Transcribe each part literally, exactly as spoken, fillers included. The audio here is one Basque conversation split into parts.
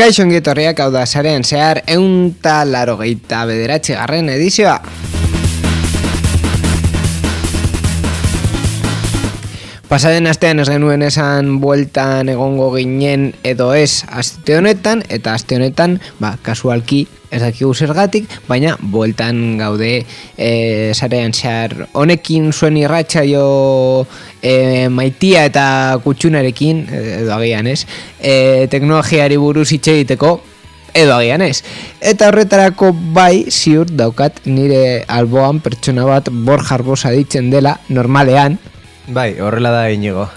Kaixo ongi etorriak, hau da sarean zehar ehun eta laurogeita bederatzi garren edizioa. Pasaden astean ez genuen esan bueltan egongo ginen edo ez aste honetan, eta aste honetan, ba, kasualki ez dakigu zergatik, baina bueltan gaude e, sarean zehar honekin zuen irratsaio e, maitia eta kutxunarekin, edo agian ez, e, teknologiari buruz hitz egiteko, edo agian ez. Eta horretarako bai ziur daukat nire alboan pertsona bat Borja Arbosa ditzen dela, normalean. Bai, horrela da Iñigo.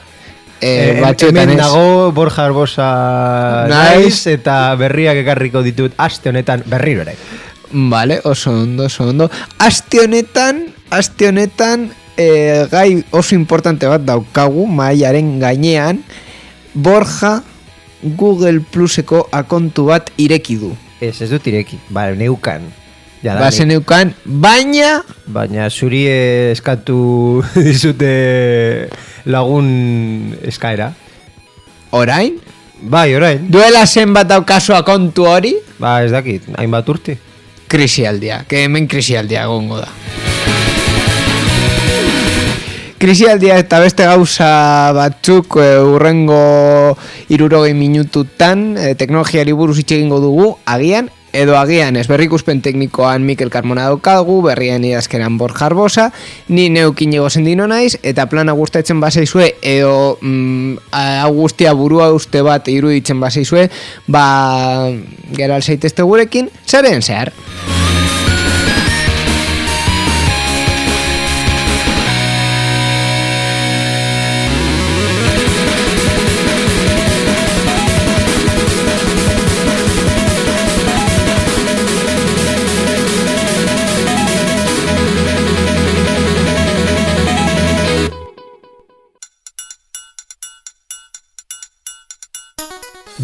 Eh, batzuetan hemen ez. dago Borja Arbosa naiz eta berriak ekarriko ditut aste honetan berriro ere. Vale, oso ondo, oso ondo. Aste honetan, aste honetan eh, gai oso importante bat daukagu mahaiaren gainean. Borja Google Pluseko akontu bat ireki du. Ez, ez dut ireki, ba, neukan. Ba, zeneukan, baina... Baina zuri eskatu dizute lagun eskaera. Orain? Bai, orain. Duela zenbat daukazu akontu hori? Ba, ez dakit, hainbat urte. Krisialdia, que hemen krisialdia gongo da. Krisialdia eta beste gauza batzuk e, urrengo hirurogei minututan e, teknologiari buruz hitz egingo dugu, agian, edo agian ez. Berrikuspen teknikoan Mikel Carmona daukagu, berrien idazkeran Borja Arbosa, ni neuk Iñigo Sendino naiz, eta plana gustatzen bazaizue, edo mm, hau guztia burua uste bat iruditzen bazaizue, ba, gero alzaitezte gurekin, zaren zehar.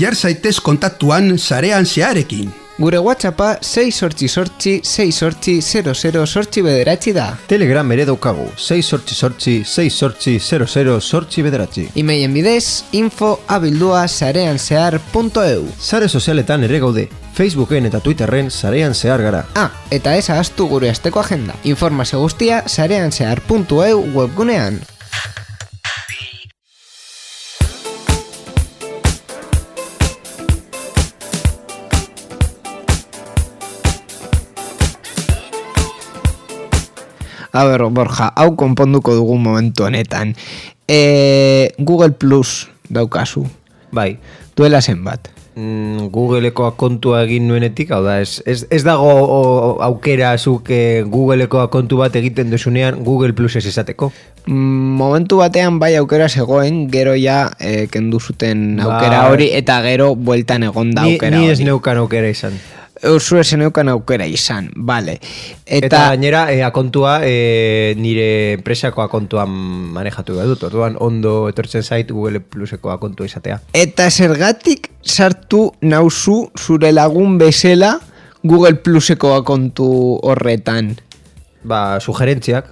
Jar zaitez kontaktuan sarean zeharekin. Gure WhatsAppa sei sortzi sortzi sei sortzi zero zero sortzi bederatzi da. Telegram ere daukagu, sei sortzi sortzi sei sortzi zero zero sortzi bederatzi. Emailen bidez, info abildua sarean zehar punto eu. Sare sozialetan ere gaude, Facebooken eta Twitterren sarean zehar gara. Ah, eta ez ahaztu gure asteko agenda. Informazio guztia sarean zehar punto eu webgunean. A ber, Borja, hau konponduko dugu momentu honetan. E, Google Plus daukazu. Bai. Duela zenbat. Mm, Googleeko akontua egin nuenetik, hau da, ez, ez, ez dago o, aukera zuk e, Googleeko akontu bat egiten duzunean Google Plus ez izateko? Mm, momentu batean bai aukera zegoen, gero ja e, kendu zuten aukera Ba, hori, eta gero bueltan egon da ni, aukera ni hori. ez neukan aukera izan. Eusu esen eukan aukera izan, vale. Eta, Eta gainera, e, akontua e, nire enpresako akontuan manejatu behar dut. Orduan ondo etortzen zait Google Pluseko akontua izatea. eta zergatik sartu nauzu zure lagun bezala Google Pluseko akontu horretan? Ba, sugerentziak.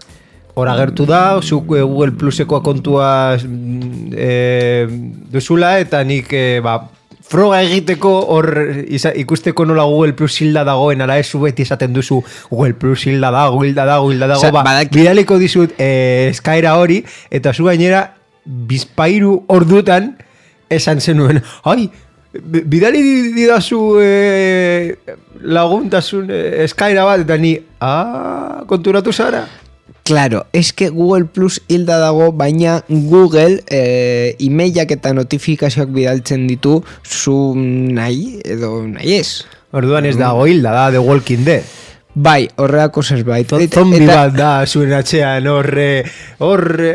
Hor agertu da, zuk e, Google Pluseko akontua e, duzula, eta nik e, ba, froga egiteko hor isa, ikusteko nola Google Plus hilda dagoen, ala ez zu beti esaten duzu Google Plus hilda dago, hilda dago, hilda dago, Osa, ba, badak... bidaliko dizut eh, eskaera hori, eta zu gainera bizpairu ordutan esan zenuen, ai, bidali didazu eh, laguntasun eh, eskaera bat, eta ni, ah, konturatu zara? Claro, es que Google Plus hilda dago, baina Google e, emailak eta notifikazioak bidaltzen ditu zu nahi edo nahi ez. Orduan ez dago hilda, da The Walking Dead. Bai, horreako zerbait. Zombi bat da zuen atxean, horre, horre...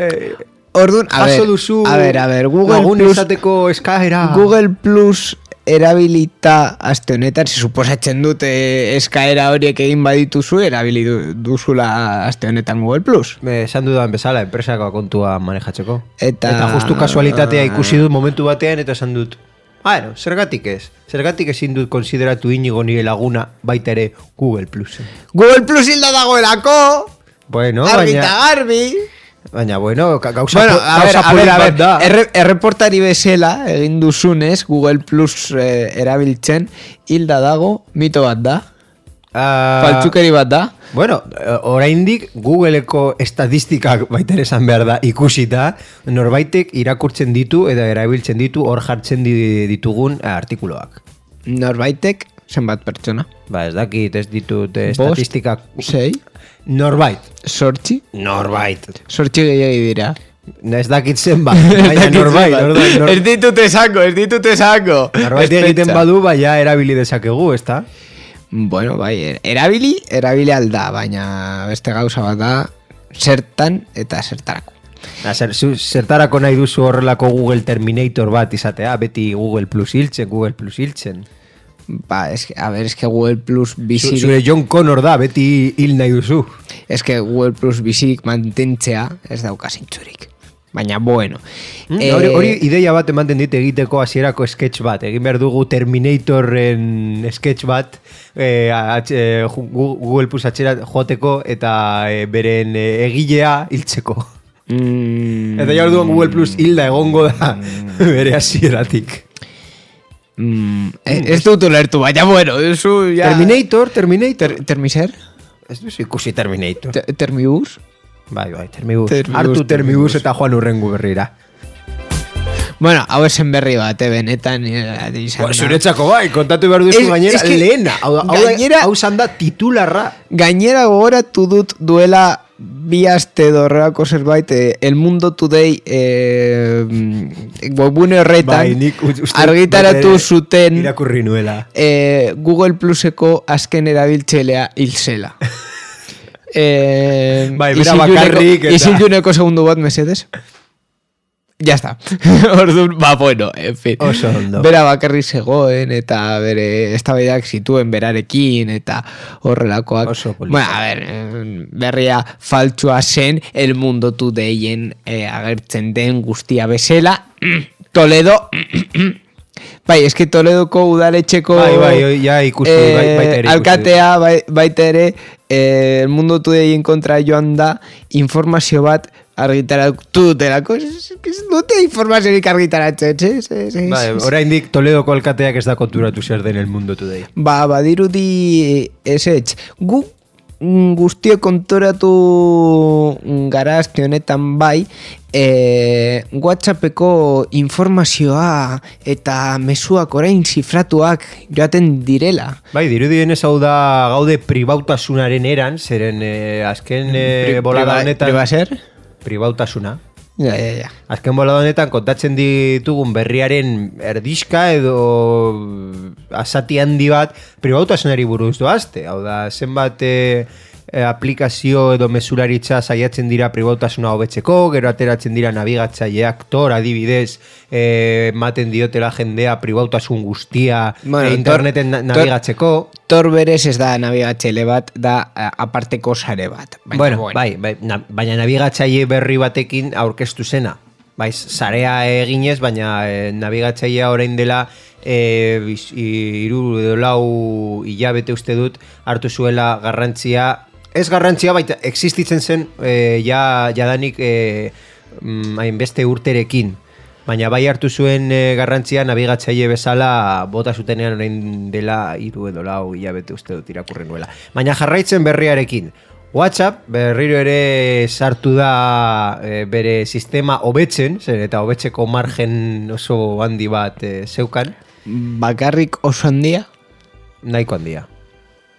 Orduan, a Jaso ver, duzu a ver, a ver, Google lagun Plus, esateko eskaera. Google Plus erabilita aste honetan, si suposatzen dute eskaera horiek egin badituzu, erabili du, duzula aste honetan Google Plus. Esan dudan bezala, enpresako akontua manejatzeko. Eta, eta justu kasualitatea ikusi dut momentu batean, eta esan dut, bueno, zergatik ez? Zergatik ezin dut konsideratu Iñigo nire laguna baita ere Google Plus. Google Plus hilda dagoelako! Bueno, Argi baina... eta garbi! Baina, bueno, gauza Bueno, po- a ver, gauza a ver, a polit ver, bat da. erre, erreportari bezala egin duzunez Google Plus eh, erabiltzen hilda dago mito bat da, Ah, faltsukeri bat da. Bueno, eh, oraindik Googleeko estatistikak baita ere esan behar da ikusita, norbaitek irakurtzen ditu eta erabiltzen ditu hor jartzen di- ditugun eh, artikuluak. Norbaitek zenbat pertsona? Ba, ez dakit, ez ditut eh, Bost, estatistikak. sei, Norbait. sortzi, Norbait. sortzi gehiagi dira. Ez dakit zenbat, baina norbait. norbait, nor- Ez ditut esango, ez ditut esango. Norbait Espetxa. egiten badu, baina erabili dezakegu, ezta? Bueno, bai, er- erabili, erabili alda, baina beste gauza bat da, zertan eta zertarako. Na, zer, zu, zertarako nahi duzu horrelako Google Terminator bat izatea, beti Google Plus hiltzen, Google Plus hiltzen. Ba, es que, a ver, es que Google Plus Zu- bizirik, Zure John Connor da, beti hil nahi duzu. es que Google Plus bizirik mantentzea ez dauka zintzurik. Baina, bueno. Mm, eh, hori, hori ideia bat ematen dit egiteko hasierako sketch bat. Egin behar dugu Terminatorren sketch bat eh, atx- eh, ju- Gu- Google Plus atxera joateko eta eh, beren eh, egilea hiltzeko. mm, Eta ja orduan Google Plus hilda egongo da bere hasieratik. mm, eh, ez dut ulertu, baina, bueno, eso ya... Terminator, Terminator. Ter, termiser? Ez duzu ikusi Terminator. Ter, termibus? Bai, bai, Termibus. Termibus, Hartu Termibus Termibus. eta joan urrengu berrira. Bueno, hau esen berri bat, eh, benetan eh, izan Ba, da. zuretzako bai, kontatu behar duzu Ez- gainera es que lehena. Hau, hau, gainera- hau zan da titularra. Gainera gogoratu dut duela bi aste dorreako zerbait eh, El Mundo Today eh, webune horretan Bai, nik u- uste argitaratu baita ere zuten irakurri nuela. eh, Google Pluseko azken erabiltzailea hil zela. eh, Bai, bera isiluneko- bakarrik eta- Isiluneko segundu bat, mesedes. Ya está. Orduan, ba, bueno, en fin. Oso ondo. Bera bakarrik zegoen eta bere eztabaidak zituen berarekin eta horrelakoak. Oso polita. Bueno, a ver, eh, berria faltsua zen El Mundo Todayen eh, agertzen den guztia bezala. Toledo... Bai, eski Toledoko udaletxeko Bai, bai, ja ikustu, eh, bai, baita ere ikustu. alkatea bai, baita ere eh, El Mundo Todayen kontra joan da informazio bat argitaratu dutelako. Ez ez dute informaziorik argitaratzen, ez? ez, ez, Bai, ez. oraindik Toledoko alkateak ez da konturatu zer den El Mundo Today. Ba, badirudi ezetz. Gu mm, guztio konturatu gara aste honetan bai, e, WhatsAppeko informazioa eta mezuak orain zifratuak joaten direla. Bai, dirudien ez hau da gaude pribautasunaren eran, zeren eh, azken eh, bolada honetan... Pribaser? Pribautasuna. Ja, ja, ja. Azken bolada honetan kontatzen ditugun berriaren erdixka edo asati handi bat pribautasunari buruz doazte. Hau da, zenbat eh, eh, aplikazio edo mesularitza saiatzen dira pribautasuna hobetzeko, gero ateratzen dira nabigatzaileak Tor adibidez, eh, ematen diotela jendea pribautasun guztia Bueno, eh, interneten Tor- na- nabigatzeko. Tor berez ez da nabigatzaile bat, da eh, aparteko sare bat. Baina, Bueno, bai, bai, na, baina nabigatzaile berri batekin aurkeztu zena. Bai, sarea eginez, baina eh, nabigatzailea orain dela eh, biz- hiru edo lau hilabete uste dut hartu zuela garrantzia, ez garrantzia baita existitzen zen eh, ja jadanik eh, mm, hainbeste urterekin. Baina bai hartu zuen e, garrantzia nabigatzaile bezala bota zutenean orain dela hiru edo lau hilabete uste dut irakurri nuela. Baina jarraitzen berriarekin. WhatsApp berriro ere sartu da e, bere sistema hobetzen, zer eta hobetzeko margen oso handi bat e, zeukan, Bakarrik oso handia, nahiko handia.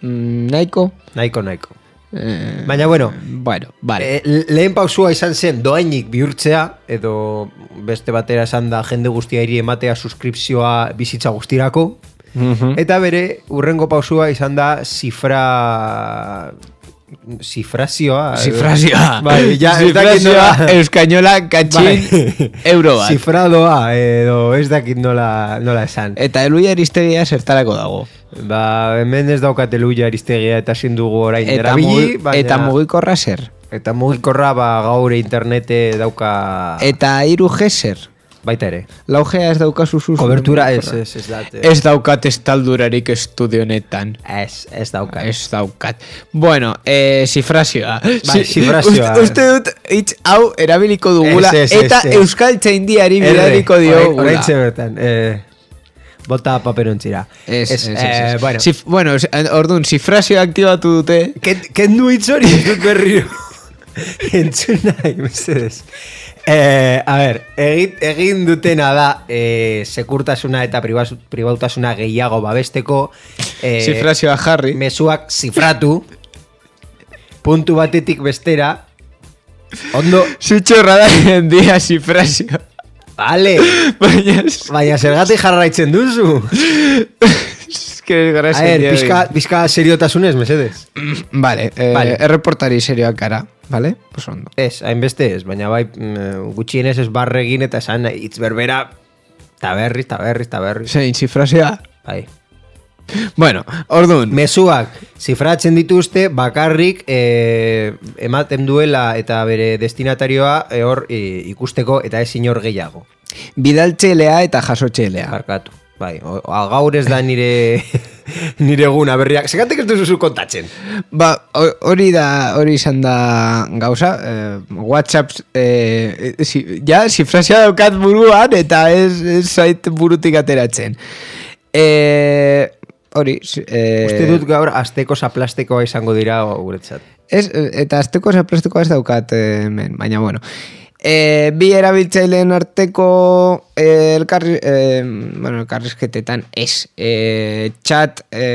mm, nahiko. Nahiko, nahiko. Eh, Baina bueno, bueno, vale. E, lehen pausua izan zen doainik bihurtzea, edo beste batera esan da jende guztia iri ematea suskripzioa bizitza guztirako, Mhm. eta bere urrengo pausua izan da zifra... Zifrazioa. Zifrazioa. Bai, ja, ez dakit Zifrazioa nola- euskainola katxin Bai. euro bat. Zifradoa, edo ez dakit nola, nola esan. Eta eluia eristegia zertarako dago. Ba, hemen ez daukat eluia aristegia eta ezin dugu orain Eta, erabili, mugi, baina... eta mugikorra zer. Eta mugikorra ba, gaur internete dauka... Eta hiru G zer. baita ere. Laugea ez daukazu zuzu. Kobertura ez, ez, ez dat. Ez daukat estaldurarik estudio honetan. Ez, ez daukat. Ez daukat. Bueno, eh, zifrazioa. Bai, zifrazioa. Uste, uste dut, hitz hau erabiliko dugula, Ez, ez, eta ez, ez. Euskal Txaindiari bidaliko diogula. Horain bertan, eh, bota paperontzira. Ez, ez, ez, eh, ez. Bueno, Zif, bueno, orduan, zifrazioa aktibatu dute. kendu hitz hori, ez dut berriro. Entzun nahi, mesedez. Eh, a ver, egin, egin dutena da eh, sekurtasuna eta pribaz, pribautasuna gehiago babesteko eh, Zifrazioa jarri. mezuak zifratu puntu batetik bestera ondo, Zutxorra da dia zifrazioa. vale, Baina, baina zergatik jarraitzen duzu. es que es A gracia. ver, pizka, pizka seriotasunez, mesedez. Vale, eh, Vale. erreportari serioak gara, vale? Pues ondo. Ez, hainbeste ez, baina bai mm, gutxienez ez barregin eta esan hitz berbera ta berriz, ta berriz, ta berriz. Zein, zifrazioa? Bai. Bueno, orduan, Mezuak zifratzen dituzte bakarrik eh, ematen duela eta bere destinatarioa eh, hor eh, ikusteko eta ez inor gehiago. bidaltxelea eta jasotxelea. Barkatu. Bai, o, o, gaur ez da nire nire eguna berriak. Segatik ez duzu kontatzen. Ba, ho- hori da, hori izan da gauza, eh, WhatsApp, eh, si, ja, zifrazioa daukat buruan, eta ez, ez zait burutik ateratzen. Eh, hori, si- eh, Uste dut gaur asteko zaplastekoa izango dira guretzat. ez, eh, eta azteko zaplastikoa ez daukat eh, hemen, baina bueno. E, bi erabiltzaileen arteko e, elkarri, e, bueno, elkarrizketetan ez. E, chat... E,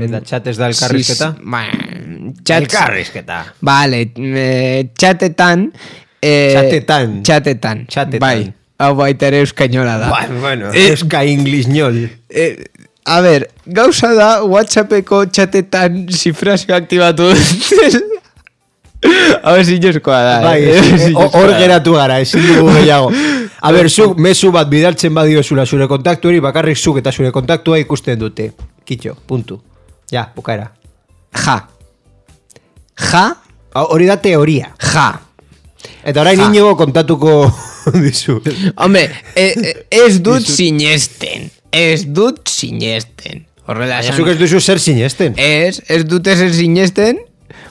Eta chat ez da elkarrizketa? sis- ba, chat, Elkarrizketa. Vale, e, chatetan... E, Chatetan. Chatetan. Chatetan. Bai, hau baita ere euskainola da. Ba, bueno, Eh, euska inglisñol. E, a ver, gauza da WhatsAppeko chatetan zifrazio aktibatu dut. Hau zinezkoa da. Bai, eh? eh, Zinezkoa hor da. geratu gara, ezin dugu gehiago. A ber, zuk mezu bat bidaltzen badiozula zure kontaktu hori, bakarrik zuk eta zure kontaktua ikusten dute. Kitxo, puntu. Ja, bukaera. Ja. Ja, Hau- Hori da teoria. ja. Eta orain Ja. inigo kontatuko dizu. Hombre, e, e, ez dut sinesten. Ez dut sinesten. Horrela Baina esan. zuk ez duzu zer sinesten. Ez, ez dut ezer sinesten.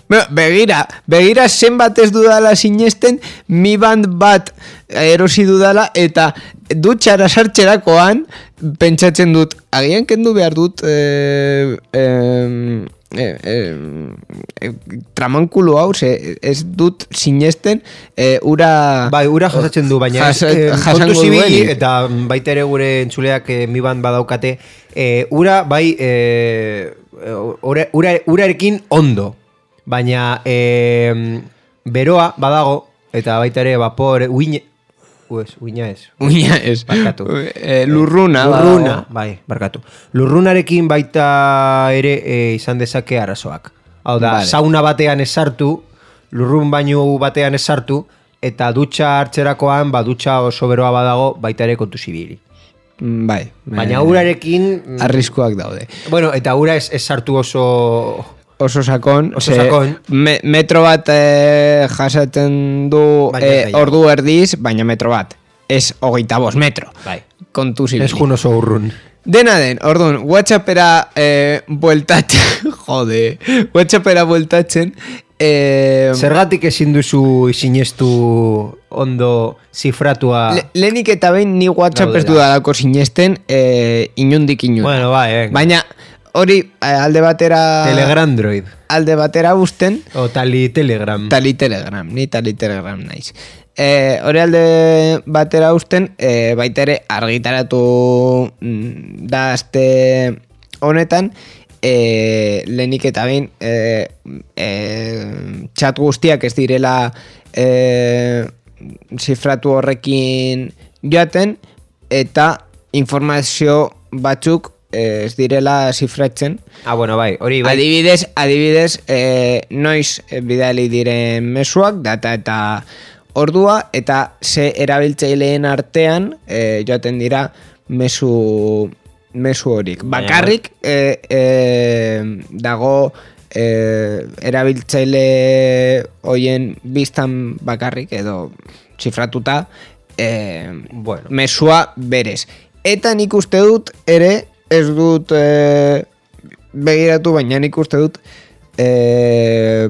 Bueno, begira, begira zenbat ez dudala sinesten, mi band bat erosi dudala, eta dutxara sartxerakoan pentsatzen dut, agian kendu behar dut eh, eh, eh, eh, eh, tramankulu hau, ze ez dut sinesten eh, ura... Bai, ura jasatzen du, baina Jas- ez, eh, jasango kontu zibili, duenik. eta baita ere gure entzuleak eh, mi ban badaukate, eh, ura bai eh, ura, ura, urarekin ondo, baina eh, beroa badago, eta baita ere vapor, uine, uez, uina ez, Uina ez. Barkatu. Eh, lurruna. Lurruna, badago. bai, barkatu. Lurrunarekin baita ere eh, izan dezake arazoak. Hau da, Vale. sauna batean esartu, lurrun bainu batean esartu, eta dutxa hartzerakoan, ba, dutxa oso beroa badago, baita ere kontu zibili. Mm, Bai. Baina eh, urarekin, mm, arriskuak daude. bueno, eta ura ez, ez sartu oso... Oso sakon, Oso ze sakon. Me, metro bat eh, jasaten du Baina eh, gehiago. ordu erdiz, baina metro bat. Ez hogeita bost metro. Bai. Kontu Ez zibili. jun oso urrun. Dena den, orduan, WhatsAppera eh, bueltatzen, jode, WhatsAppera bueltatzen, eh, Zergatik ezin duzu sinestu ondo zifratua... le, lehenik eta behin ni WhatsApp ez Gaudela. dudalako sinesten, eh, inundik inunda. Bueno, bai, venga. Baina, hori, eh, alde batera... Telegrandroid. Alde batera usten, O tali telegram. tali telegram, ni tali telegram naiz. Eh, hori alde batera usten, eh, baita ere argitaratu mm, da azte honetan, eh, lehenik eta behin eh, eh, chat guztiak ez direla eh, zifratu horrekin joaten, eta informazio batzuk eh, ez direla zifratzen. Ah, bueno, bai, hori bai. Adibidez, adibidez, eh, noiz eh, bidali diren mezuak, data eta ordua, eta ze erabiltzaileen artean eh, joaten dira mezu, mezu horik. Baina, Bakarrik eh, eh, dago eh, erabiltzaile hoien biztan bakarrik, edo zifratuta, eh, Bueno. mesua berez. Eta nik uste dut ere, ez dut eh, begiratu, baina nik uste dut eh,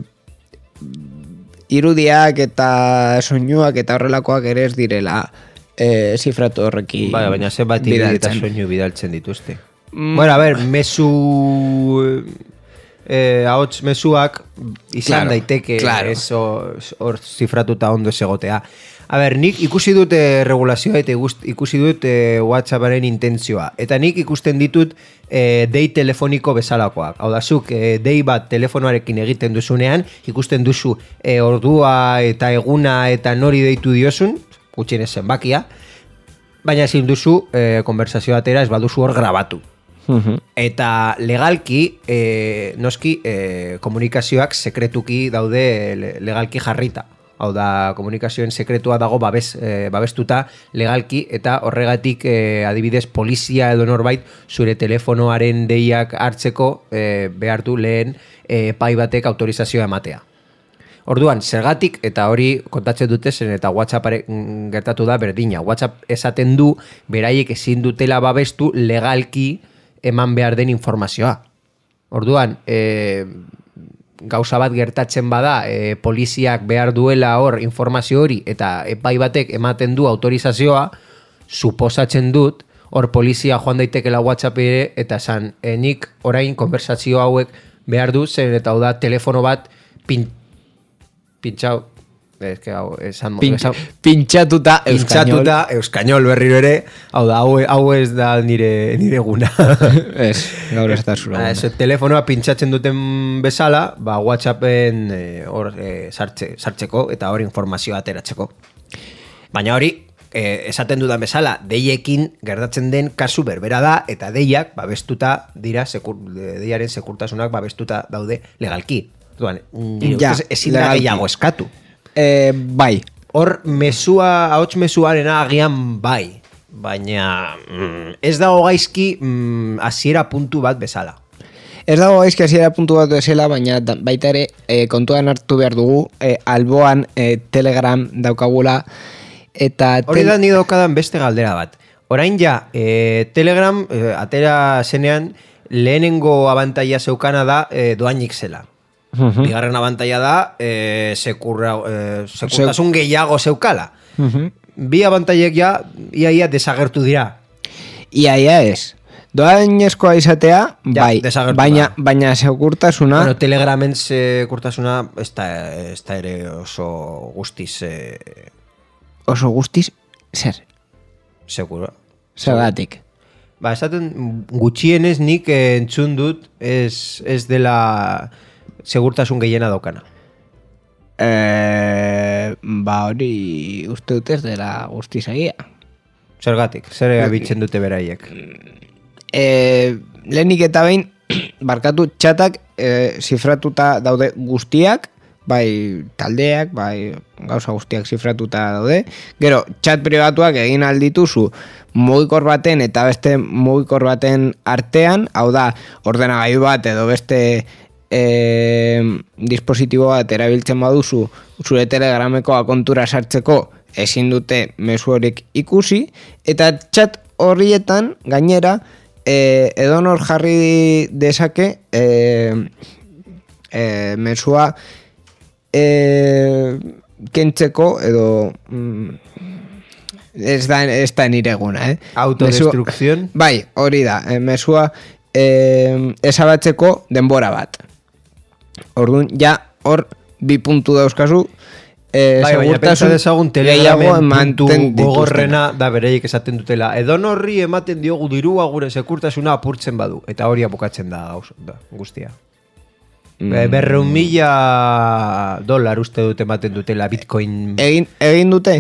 irudiak eta soinuak eta horrelakoak ere ez direla eh, zifratu horreki Bai, baina ze bat eta soinu bidaltzen dituzte. Mm. Bueno, a ver, mesu... Eh, ahots mesuak izan Claro, daiteke claro. ez hor hor zifratuta ondo ez egotea. A ber, nik ikusi dut eh, regulazioa eta igust- ikusi dut eh, WhatsApparen intentzioa. Eta nik ikusten ditut eh, dei telefoniko bezalakoak. Hau da, zuk eh, dei bat telefonoarekin egiten duzunean, ikusten duzu eh, ordua eta eguna eta nori deitu diozun, gutxienez zenbakia, baina ezin duzu eh, konversazioa atera ez baduzu hor grabatu. Eta legalki, eh, noski, eh, komunikazioak sekretuki daude le- legalki jarrita. Hau da, komunikazioen sekretua dago babes, eh, babestuta legalki eta horregatik eh, adibidez polizia edo norbait zure telefonoaren deiak hartzeko eh, behar du lehen eh, epai batek autorizazioa ematea. Orduan, zergatik, eta hori kontatzen dute zen eta WhatsApparen gertatu da berdina. WhatsApp esaten du, beraiek ezin dutela babestu legalki eman behar den informazioa. Orduan, e, gauza bat gertatzen bada, e, poliziak behar duela hor informazio hori eta epai batek ematen du autorizazioa, suposatzen dut, hor polizia joan daitekela WhatsApp ere, eta esan, e, nik orain konversazio hauek behar du, zen eta hau da telefono bat pin, pintxau, ez que hau, esan, Pin, esan, pintxatuta euskainol. pintxatuta euskainol berriro ere, hau da, hau, hau ez da nire, nire guna. Ez, gaur ez da zure. Ba, ez, telefonoa pintxatzen duten bezala, ba, WhatsAppen eh, hor eh, sartze, sartzeko eta hor informazioa ateratzeko. Baina hori, eh, esaten dudan bezala, deiekin gertatzen den kasu berbera da, eta deiak babestuta dira, sekur, deiaren sekurtasunak babestuta daude legalki. Duan, nire Ja, ustez ezin da legalki. gehiago eskatu. Eh, bai, Hor mesua, ahots mesuarena agian bai, baina mm, ez dago gaizki mm, hasiera puntu bat bezala. ez dago gaizki hasiera puntu bat bezala, baina da- baita ere eh, kontuan hartu behar dugu, eh, alboan eh, Telegram daukagula, eta... Hori tel- da ni daukadan beste galdera bat. Orain ja, eh, Telegram eh, atera zenean lehenengo abantaila zeukana da eh, doainik zela. Mhm. Bigarren abantaila da eh, sekurra, eh, sekurtasun gehiago zeukala. Mhm. Bi abantailek ja iaia desagertu dira. Ia, ia ez. Doainezkoa izatea, Ja, bai, desagertu baina, da. baina segurtasuna... Bueno, Telegramen sekurtasuna ez da, ez da ere oso guztiz eh, oso guztiz, zer, seguro. zergatik. Ba, esaten gutxienez nik eh, entzun dut ez, ez dela segurtasun gehiena daukana. Eh, ba hori uste dut ez dela guztiz egia. Zergatik, zer abitzen dute beraiek. Eh, lehenik eta behin, barkatu txatak eh, zifratuta daude guztiak, bai taldeak, bai gauza guztiak zifratuta daude. Gero, txat pribatuak egin aldituzu mugikor baten eta beste mugikor baten artean, hau da, ordenagailu bat edo beste eh, dispositibo bat erabiltzen baduzu zure Telegrameko akontura sartzeko ezin dute mezu horiek ikusi, eta txat horrietan gainera eh, edonor jarri dezake eh, eh, mesua eh, kentzeko edo mm, ez da, ez da nire eguna, eh? Autodestrukzion? Mesua- bai, hori da, eh, mesua eh, ezabatzeko denbora bat. Orduan, ja, hor bi puntu dauzkazu, eh, Bai, baina pentsa dezagun Telegramen puntu ematen gogorrena da bereiek esaten dutela. Edon horri ematen diogu dirua gure sekurtasuna apurtzen badu. Eta hori abukatzen da, gauz, da guztia. Mm. Berreun mila dolar uste dute ematen dutela Bitcoin. Egin, egin dute?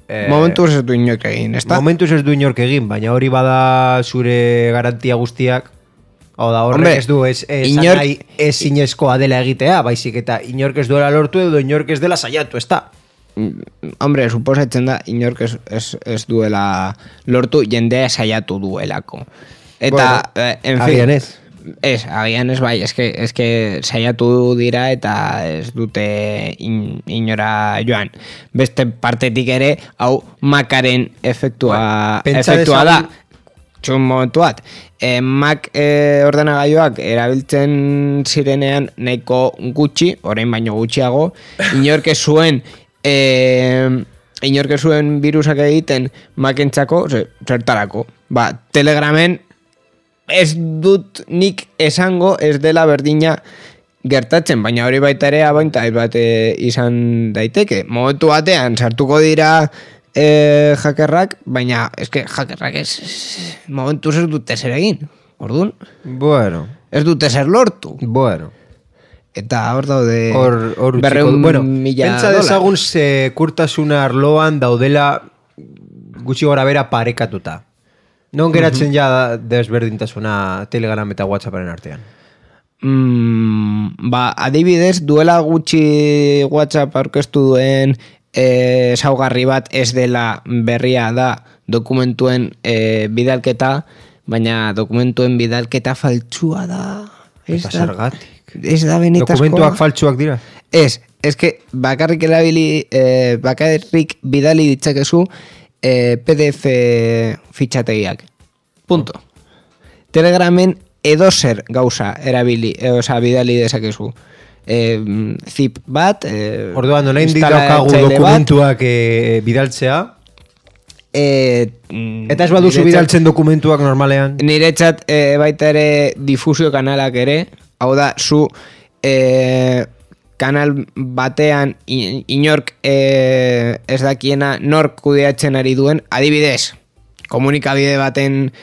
Eh, Momentuz ez du inork egin, ezta? Momentuz ez du inork egin, baina hori bada zure garantia guztiak. Hau da, horrek Hombre, ez du ez, ez, inor- nahi ez inezkoa dela egitea, baizik eta inork ez duela lortu edo inork ez dela saiatu, ez da? Mm, Hombre, suposatzen da inork ez, ez, ez duela lortu, jendea saiatu duelako. Eta, Bueno, eh, en agian fin, ez. Ez, agian ez bai, eske, eske saiatu dira eta ez dute in, inora joan. Beste partetik ere, hau Macaren efektua, Ba, efektua da. Txun momentu bat. E, Mac e, ordenagailuak erabiltzen zirenean nahiko gutxi, orain baino gutxiago, inork ez zuen... E, inork ez zuen virusak egiten Macentzako, zertarako. Ba, Telegramen ez dut nik esango ez dela berdina gertatzen, baina hori baita ere abainta bat izan daiteke. Momentu batean sartuko dira e, hackerrak, baina eske hackerrak ez momentu ez dute zer egin. Orduan? Bueno. Ez dute zer lortu. Bueno. Eta hor daude Hor, hor berreun bueno, mila pentsa dolar. dezagun sekurtasuna arloan daudela gutxi gora bera parekatuta. Non geratzen ja desberdintasuna Telegram eta WhatsApparen artean? Mm, ba, adibidez, duela gutxi WhatsApp aurkeztu duen e, saugarri bat ez dela berria da dokumentuen e, bidalketa, baina dokumentuen bidalketa faltsua da. Ez Eta da- zergatik. Ez da benetazkoa. Dokumentuak faltsuak dira? Ez, ez que bakarrik erabili, eh, bakarrik bidali ditzakezu eh, P D F fitxategiak. Punto. Telegramen edozer gauza erabili, eh, oza, bidali dezakezu. Eh, zip bat, eh, Orduan, orain daukagu instalatzaile bat, dokumentuak eh, bidaltzea, eh, mm, eta ez baduzu niretzat- bidaltzen dokumentuak normalean. Niretzat eh, baita ere difusio kanalak ere, hau da, zu eh, kanal batean in- inork eh, ez dakiena nork kudeatzen ari duen, adibidez, komunikabide baten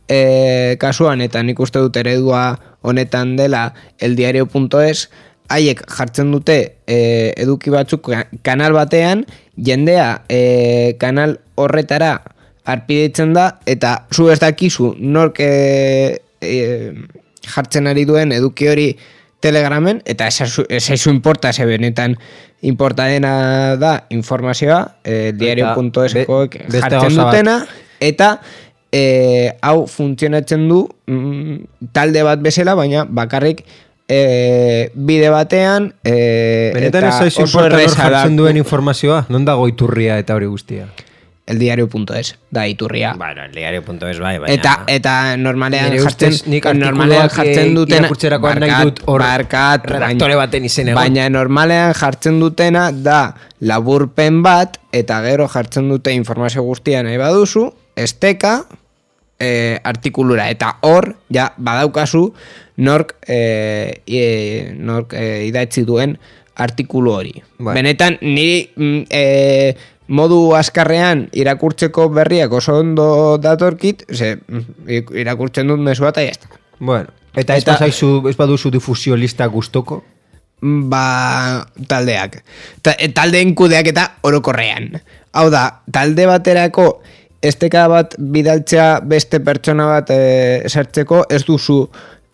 eh, kasuan, eta nik uste dut eredua honetan dela eldiario punto es, haiek jartzen dute eh, eduki batzuk ka- kanal batean, jendea eh, kanal horretara arpidetzen da, eta zu ez dakizu nork eh, eh, jartzen ari duen eduki hori Telegramen, eta ez aizu importa, ze benetan importa dena da informazioa, eh, diario punto es koek be- beste jartzen gauza bat. dutena, eta eh, hau funtzionatzen du mm, talde bat bezala, baina bakarrik eh, bide batean eh, Benetan ez eta zaizu oso importa nor erreza da jartzen duen informazioa? Non dago iturria eta hori guztia? eldiario punto es, da iturria. Bueno, el diario punto es bai, baina... Eta eta normalean Nire jartzen ustez nik normalean artikuluak, jartzen eh, dutena irakurtzerakoan nahi dut hor barkat, redaktore baina- baten izen egon. baina normalean jartzen dutena da laburpen bat eta gero jartzen dute informazio guztia nahi baduzu, esteka eh, artikulura eta hor ja badaukazu nork eh, e, nork eh, idatzi duen artikulu hori. Bai. Benetan niri mm, eh, modu askarrean irakurtzeko berriak oso ondo datorkit, ze, mm, irakurtzen dut mezua eta jazta. Bueno, eta ez Eta- bazaizu, ez baduzu difusio lista gustoko? Ba, taldeak. Ta, e, taldeen kudeak eta orokorrean. Hau da, talde baterako esteka bat bidaltzea beste pertsona bat e, sartzeko ez duzu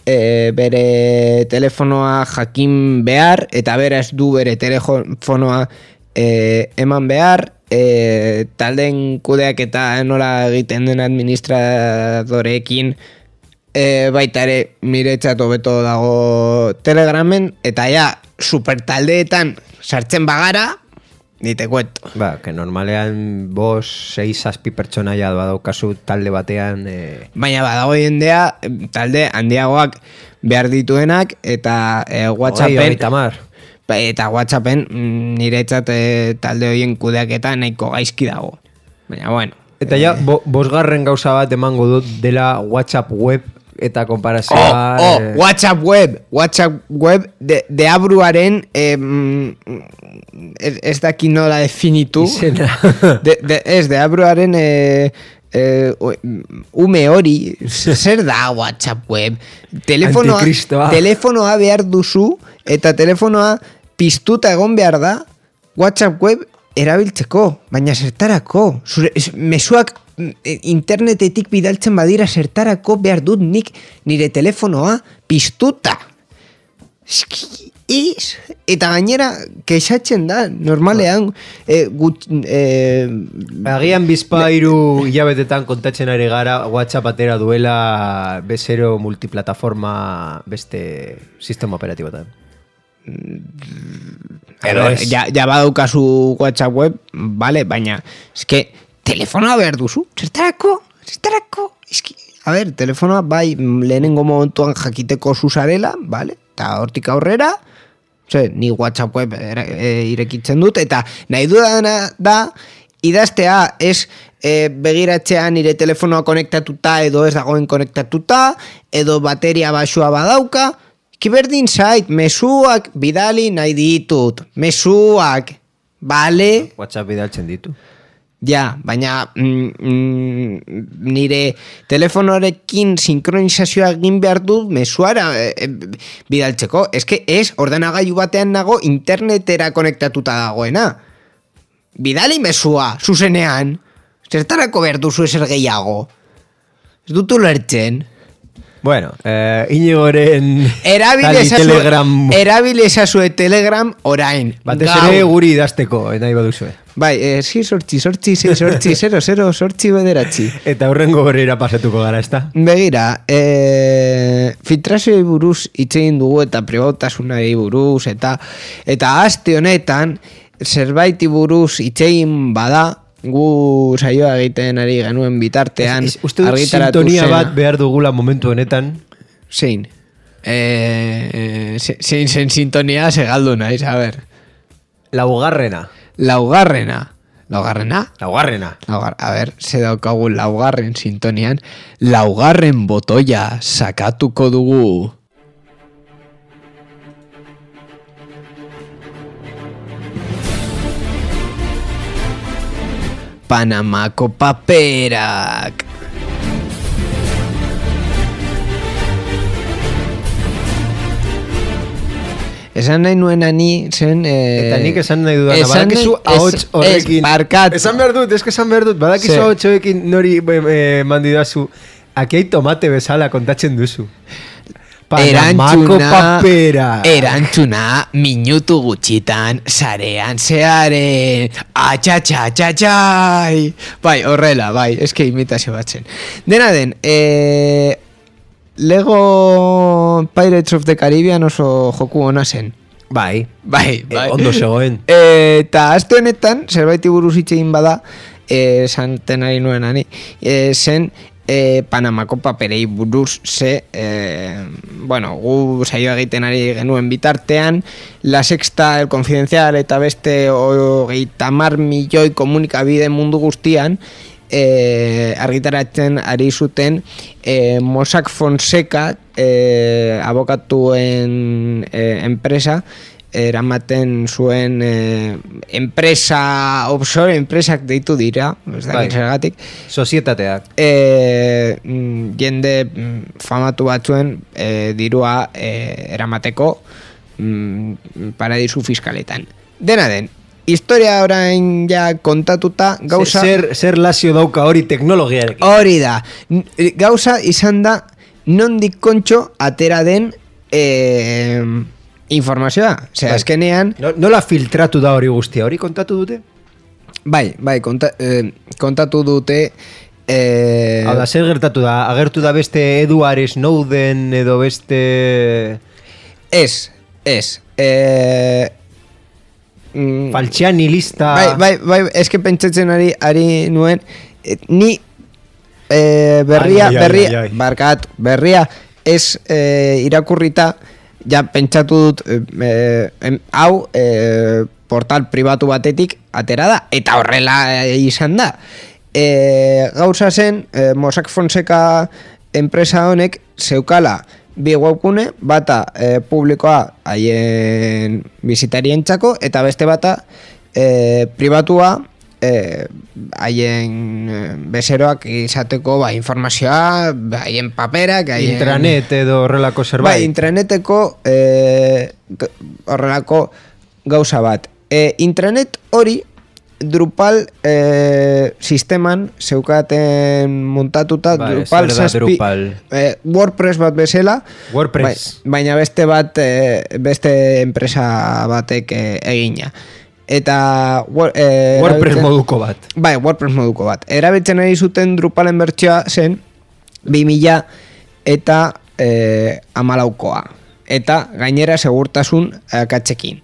e, bere telefonoa jakin behar eta bera ez du bere telefonoa e, eman behar, e, taldeen kudeak eta nola egiten den administradoreekin e, baita ere miretzat hobeto dago Telegramen, eta ja, supertaldeetan sartzen bagara, nite kuento. Ba, que normalean bos, seis, zazpi pertsona ja badaukazu talde batean... Eh, Baina badago jendea, talde handiagoak behar dituenak, eta e, WhatsAppen... hogei, hogeita hamar. Ba, eta WhatsAppen mm, niretzat e, talde horien kudeaketa nahiko gaizki dago. Baina, bueno. Eta ja, bo, bosgarren gauza bat emango dut dela WhatsApp web eta Oh, konparazioa... oh, eh, WhatsApp web, WhatsApp web de, de abruaren eh, mm, ez, ez daki nola definitu. Izena. de, de, ez, de abruaren eh, eh, ume hori, zer da WhatsApp web? Telefonoa, Antikristoa. telefonoa behar duzu, eta telefonoa piztuta egon behar da WhatsApp web erabiltzeko, baina zertarako. Zure, es, mezuak internetetik bidaltzen badira zertarako behar dut nik nire telefonoa piztuta. Eski, iz, eta gainera kexatzen da, normalean, e, gut, e, Agian bizpa hiru hilabetetan kontatzen ari gara WhatsApp atera duela bezero multiplataforma beste sistema operatibotan. Edo ez. Ja, ja badaukazu WhatsApp web, vale, baina, eske, telefonoa behar duzu, zertarako, zertarako, eski, a ber, telefonoa bai lehenengo momentuan jakiteko zuzarela, vale, eta hortik aurrera, ze, ni WhatsApp web e, irekitzen dut, eta nahi dudana da, idaztea ez e, begiratzea nire telefonoa konektatuta edo ez dagoen konektatuta, edo bateria basua badauka, kiberdin zait, mezuak bidali nahi ditut, mezuak, bale? WhatsApp bidaltzen ditu. Ja, baina mm, mm, nire telefonoarekin sinkronizazioa egin behar du mezuara e, e, bidaltzeko. Ez que ez, ordenagailu batean nago internetera konektatuta dagoena. Bidali mezua, zuzenean. Zertarako behar duzu ezer gehiago. Ez dut ulertzen. Bueno, eh, Inigoren Erabile Telegram. Erabile esazue Telegram orain. Batez ere guri idazteko, nahi baduzue. Bai, eh, si sortzi, sortzi, si sortzi, zero, zero, sortzi bederatzi. Eta hurrengo gorera pasatuko gara, ezta? Begira, eh, filtrazioei buruz hitz egin dugu eta pribautasunari buruz eta eta aste honetan zerbaiti buruz hitz egin bada, gu saioa egiten ari genuen bitartean es, es, uste dut sintonia bat behar dugula momentu honetan. Zein? Eh, zein zen sintonia segaldu naiz, a ber. Laugarrena. Laugarrena. Laugarrena? Laugarrena. Laugar, a ber, ze daukagu laugarren sintonian. Laugarren botoia sakatuko dugu. Panamako paperak. Esan nahi nuen ani zen... Eh, eta nik esan nahi dudana, badakizu ahots horrekin... Barkat. Esan behar dut, eske esan behar dut, badakizu ahots horrekin nori eh, mandidazu, aki hai tomate bezala kontatzen duzu. Panamako papera. Erantzuna minutu gutxitan sarean zearen. Atxatxatxatxai. Bai, horrela, bai, eske imitazio batzen. Dena den, eh, Lego Pirates of the Caribbean oso joku ona zen. Bai, bai, bai. E, ondo zegoen. Eta aste honetan, zerbaiti buruz hitz egin bada, eh, santen ari nuen ani, eh, zen... E, Panamako paperei buruz ze e, bueno, gu saio egiten ari genuen bitartean La Sexta, El Confidencial eta beste hogeita hamar milioi komunikabide mundu guztian e, argitaratzen ari zuten e, Mossack Fonseca e, abokatuen e, enpresa eramaten zuen eh, enpresa offshore, enpresak deitu dira, ez da, zergatik. Sozietateak. Eh, jende famatu batzuen eh, dirua eh, eramateko mm, paradisu fiskaletan. Dena den, historia orain ja kontatuta gauza... Zer, zer lazio dauka hori teknologiarekin. Hori da. Gauza izan da nondik kontxo atera den... Eh, informazioa, osea, eskenean... No, nola filtratu da hori guztia, hori kontatu dute? Bai, bai, konta, eh, kontatu dute... Eh, Hau da, zer gertatu da? Agertu da beste Edward Snowden edo beste... Ez, ez. Eh, mm, Falciani lista... Bai, bai, bai, eske pentsatzen ari, ari nuen... Eh, ni eh, berria, ai, ai, berria, ai, ai. barkat, berria ez eh, irakurrita... Ja pentsatu dut eh, em, hau eh, portal pribatu batetik atera da eta horrela izan da. Eh, gauza zen eh, Mossack Fonseca enpresa honek zeukala bi webgune, bata eh, publikoa haien bisitarientzako eta beste bata eh, pribatua haien eh, bezeroak izateko ba, informazioa, haien paperak, haien... Intranet edo horrelako zerbait. Bai, intraneteko eh, horrelako gauza bat. E, intranet hori Drupal eh, sisteman zeukaten montatuta Ba, Drupal ez, zazpi Drupal. eh, WordPress bat bezala WordPress. bai, baina beste bat eh, beste enpresa batek eh, egina eta eh, WordPress erabiltzen- moduko bat. Bai, WordPress moduko bat. Erabiltzen ari zuten Drupalen bertsioa zen bi mila eta eh, amalaukoa. Eta gainera segurtasun akatsekin.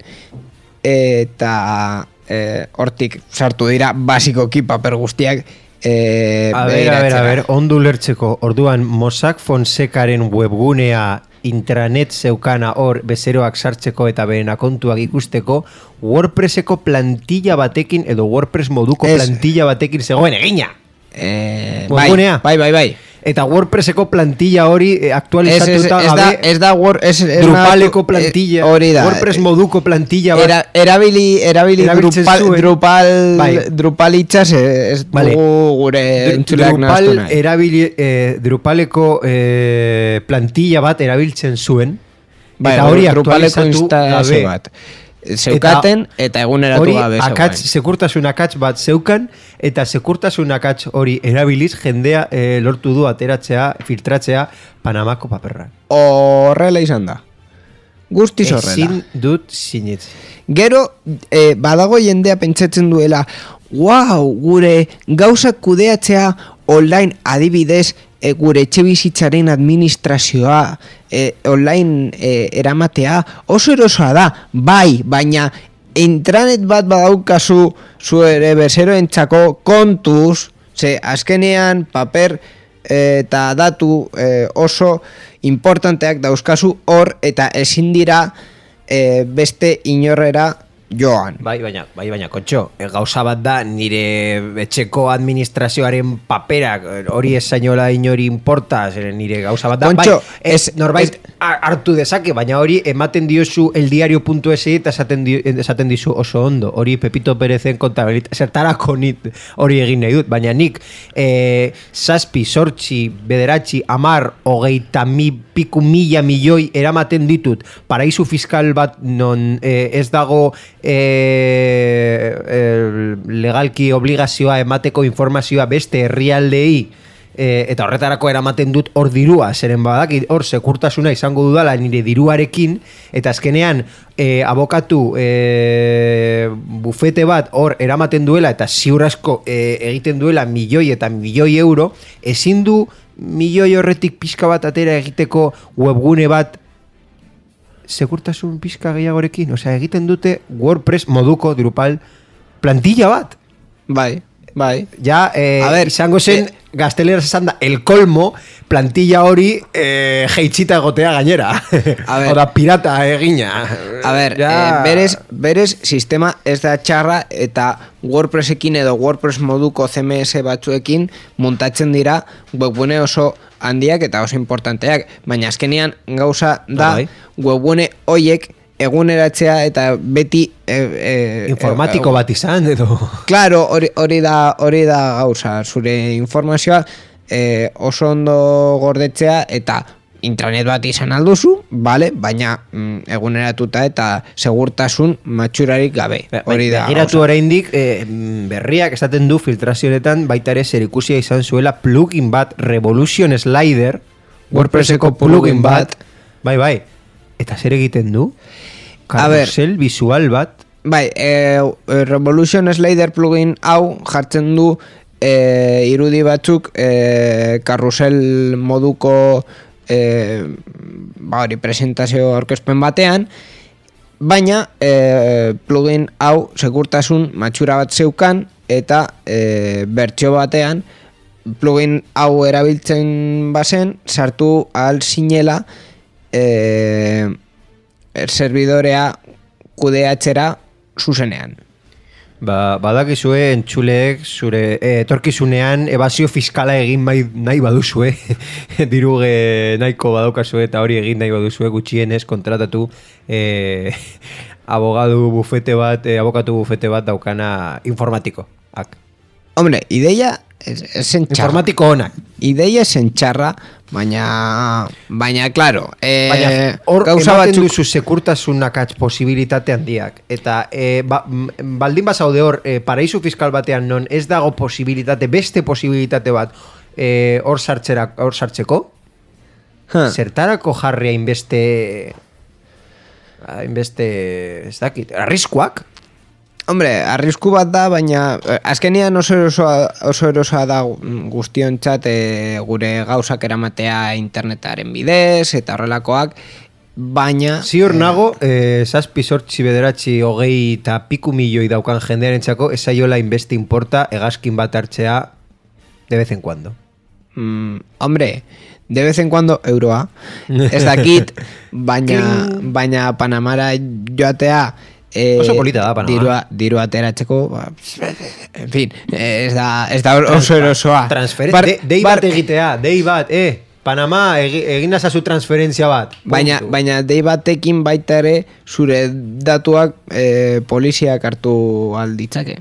Eta eh, hortik sartu dira basikoki paper guztiak eh, A ber, a ber, a begiratzera. ber, ondo ulertzeko, orduan Mossack Fonsecaren webgunea intranet zeukana hor bezeroak sartzeko eta beren akontuak ikusteko WordPresseko plantilla batekin edo WordPress moduko Ez. plantilla batekin zegoen egina. Eh, bai, Webgunea. bai, bai, bai. Eta WordPresseko plantilla hori eh, Ez, ez, aktualizatuta ez da, gabe ez da Word, ez, ez Drupaleko nahatu- plantilla, eh, hori da. WordPress moduko plantilla bat. Era, erabili erabili Erabiltzen Drupal, zuen. Drupal, Bai. Drupal hitzaz eh, ez Vale. dugu gure Dru- entzuleak nahastu Drupal nahi. erabili, eh, Drupaleko eh, plantilla bat erabiltzen zuen. Bai, eta hori Drupaleko aktualizatu instalazio gabe. bat. Zeukaten eta, eguneratu Hori gabe akats, zegoen. sekurtasun akats bat zeukan eta sekurtasun akats hori erabiliz jendea eh, lortu du ateratzea, filtratzea Panamako paperra. Horrela izan da. Guztiz horrela. Ezin dut sinetzi. Gero, eh, badago jendea pentsatzen duela, wow, gure gauzak kudeatzea online adibidez, e, gure etxe bizitzaren administrazioa e, online e, eramatea oso erosoa da, bai, baina intranet bat badaukazu zu ere bezeroentzako kontuz, ze azkenean paper e, eta datu e, oso importanteak dauzkazu hor eta ezin dira e, beste inorrera joan. Bai, baina, bai, baina, kontxo, e, gauza bat da nire etxeko administrazioaren paperak, e, hori ez zainola inori importa, zeren nire gauza bat da, Kontxo, bai, ez, ez- norbait ez- har- hartu dezake, baina hori ematen diozu eldiario puntu es eta esaten, di, esaten dizu oso ondo, hori Pepito Perezen kontabilit, zertarako nit hori egin nahi dut, baina nik e, zazpi, sortzi, bederatzi, amar, hogeita mi, piku mila milioi eramaten ditut paraizu fiskal bat non e, ez dago e, e, legalki obligazioa emateko informazioa beste herrialdei e, eta horretarako eramaten dut hor dirua, zeren badaki hor sekurtasuna izango dudala nire diruarekin eta azkenean e, abokatu e, bufete bat hor eramaten duela eta ziur asko e, egiten duela milioi eta milioi euro, ezin du milioi horretik pixka bat atera egiteko webgune bat sekurtasun pixka gehiagorekin, osea egiten dute WordPress moduko Drupal plantilla bat. Bai, bai. Ja, eh, A ver, izango zen, eh, gazteleraz esan da, el colmo, plantilla hori eh, jeitxita egotea gainera. A ver. Oda, pirata egina. A ber, Ja. eh, berez, berez sistema ez da txarra eta WordPressekin edo WordPress moduko C M S batzuekin montatzen dira webgune oso handiak eta oso importanteak, baina azkenean gauza da Bai. webgune hoiek eguneratzea eta beti e, e, Informatiko e, bat izan, edo... Claro, hori, hori da hori da gauza, zure informazioa eh, oso ondo gordetzea eta intranet bat izan alduzu, vale, baina mm, eguneratuta eta segurtasun matxurarik gabe. Hori da. Begiratu gauza. oraindik eh, berriak esaten du filtrazioetan baita ere zerikusia izan zuela plugin bat Revolution Slider, WordPresseko plugin bat. Bai, bai. Eta zer egiten du? A ber. Carrusel visual bat. Bai, eh, Revolution Slider plugin hau jartzen du eh, irudi batzuk eh, karrusel moduko eh, ba hori presentazio aurkezpen batean, baina eh, plugin hau segurtasun matxura bat zeukan eta eh, bertsio batean plugin hau erabiltzen bazen sartu ahal zinela eh, serbidorea kudeatzera zuzenean. Ba, badakizue entzuleek zure eh, etorkizunean ebazio fiskala egin bai, nahi baduzue diru eh, nahiko badaukazue eta hori egin nahi baduzue gutxienez kontratatu eh, abogadu bufete bat eh, abokatu bufete bat daukana informatiko. Ak. Hombre, ideia ez, ez zen txarra. Informatiko onak. Ideia zen txarra, Baina, baina, claro, eh, Baina, hor gauza ematen batzuk... duzu sekurtasun akats posibilitate handiak. Eta e, ba, m- baldin bazaude hor, e, paraizu fiskal batean non ez dago posibilitate, beste posibilitate bat e, hor sartzera, hor sartzeko, Ha. zertarako jarria inbeste, inbeste, ez dakit, arriskuak? Hombre, arrisku bat da, baina eh, azkenean oso erosoa, oso erosoa da guztiontzat eh, gure gauzak eramatea internetaren bidez eta horrelakoak, baina... Ziur nago, eh, zazpi sortzi bederatzi hogei eta piku milioi daukan jendearen txako, esaiola inbeste importa hegazkin bat hartzea de vez en cuando. Mm, hombre, de vez en cuando euroa, ez dakit, baina, baina Panamara joatea... Eh, Oso polita da, Panama. Dirua, dirua ateratzeko, ba, en fin, eh, ez da, ez da oso erosoa. Transferen... Bar- de, dei bar- bat egitea, dei bat, eh, Panama egi, egin nazazu transferentzia bat. Baina, Puntu. baina dei batekin baita ere zure datuak eh, poliziak hartu alditzake.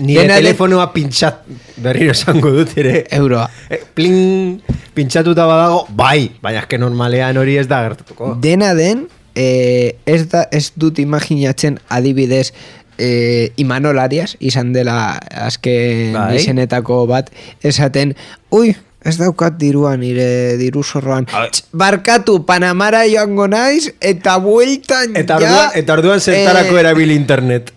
Nire Dena de- telefonoa pintxat, berriro esango dut ere. Euroa. Eh, pling, pintxatuta badago, bai, baina eske normalean hori ez da gertatuko. Dena den, eh, ez, da, ez dut imaginatzen adibidez eh, Imanol Arias izan dela azken Bai. izenetako bat esaten, ui, ez daukat dirua nire diru zorroan. Tx, barkatu, Panamara joango naiz eta bueltan Eta ja... orduan, eta orduan zertarako eh, erabili internet.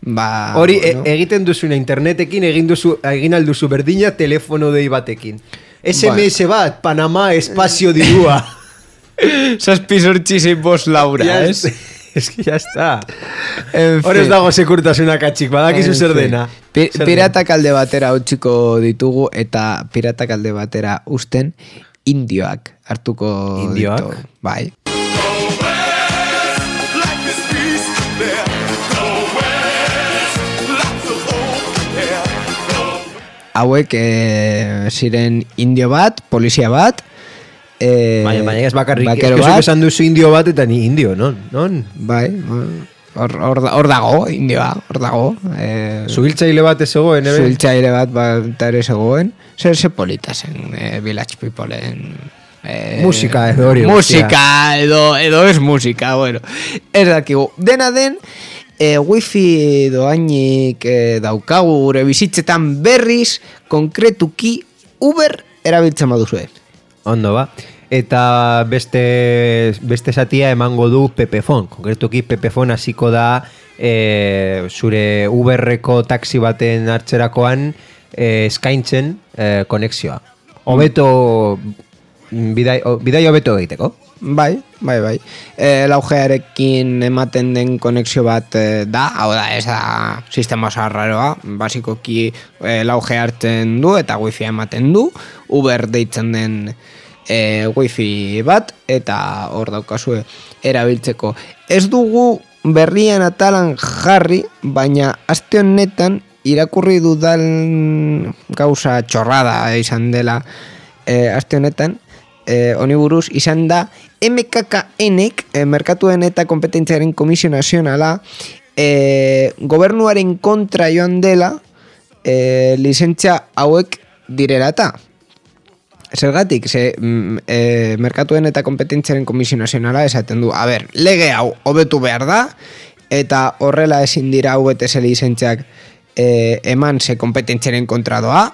Ba, Hori bueno. e, egiten duzuna internetekin, egin duzu, egin alduzu berdina telefono dei batekin. S M S bat, Panama espazio dirua. Zazpi sortzi zein bost Laura, Ya ez? Es que ya está. En Hor ez fin. dago sekurtasuna katxik, badakizu En zer fin. dena. Pi- Zer Piratak alde batera utziko ditugu eta piratak alde batera usten indioak hartuko Indioak? ditu. Bai. Hauek eh, ziren indio bat, polizia bat, eh, Baina, baina ez bakarrik, bakero ez bat, esan duzu indio bat eta ni indio, non? non? bai, hor, hor, da- hor dago, indioa, hor dago. Eh, Zuhiltzaile bat ez zegoen, ebe? Zuhiltzaile bat bat ere zegoen. Zer ze polita zen eh, Village Peopleen... Eh, Musika edo hori Musika edo, edo ez musika, bueno. Ez dakigu. Dena den, eh, wifi doainik eh, daukagu gure bizitzetan berriz, konkretuki Uber erabiltzen baduzue. Ondo ba. Eta beste, beste satia emango du Pepefon. Konkretuki Pepefon hasiko da e, zure Uberreko taxi baten hartzerakoan e, eskaintzen e, konexioa. Hobeto bidai, o- bidai hobeto egiteko. Bai, bai, bai. E, laugearekin ematen den konexio bat e, da, hau da, ez da sistema oso arraroa, basikoki e, lauge hartzen du eta wifi ematen du, Uber deitzen den e, wifi bat, eta hor daukazue erabiltzeko. Ez dugu berrian atalan jarri, baina aste honetan irakurri dudan gauza txorrada izan dela e, aste honetan, Eh, honi buruz izan da M K K N-ek, eh, Merkatuen eta Kompetentziaren Komisio Nazionala, eh, gobernuaren kontra joan dela eh, lizentzia hauek direla eta. Zergatik, ze mm, eh, Merkatuen eta Kompetentziaren Komisio Nazionala esaten du, a ber, lege hau hobetu behar da, eta horrela ezin dira hau bete ze lizentziak eh, eman ze kompetentziaren kontra doa,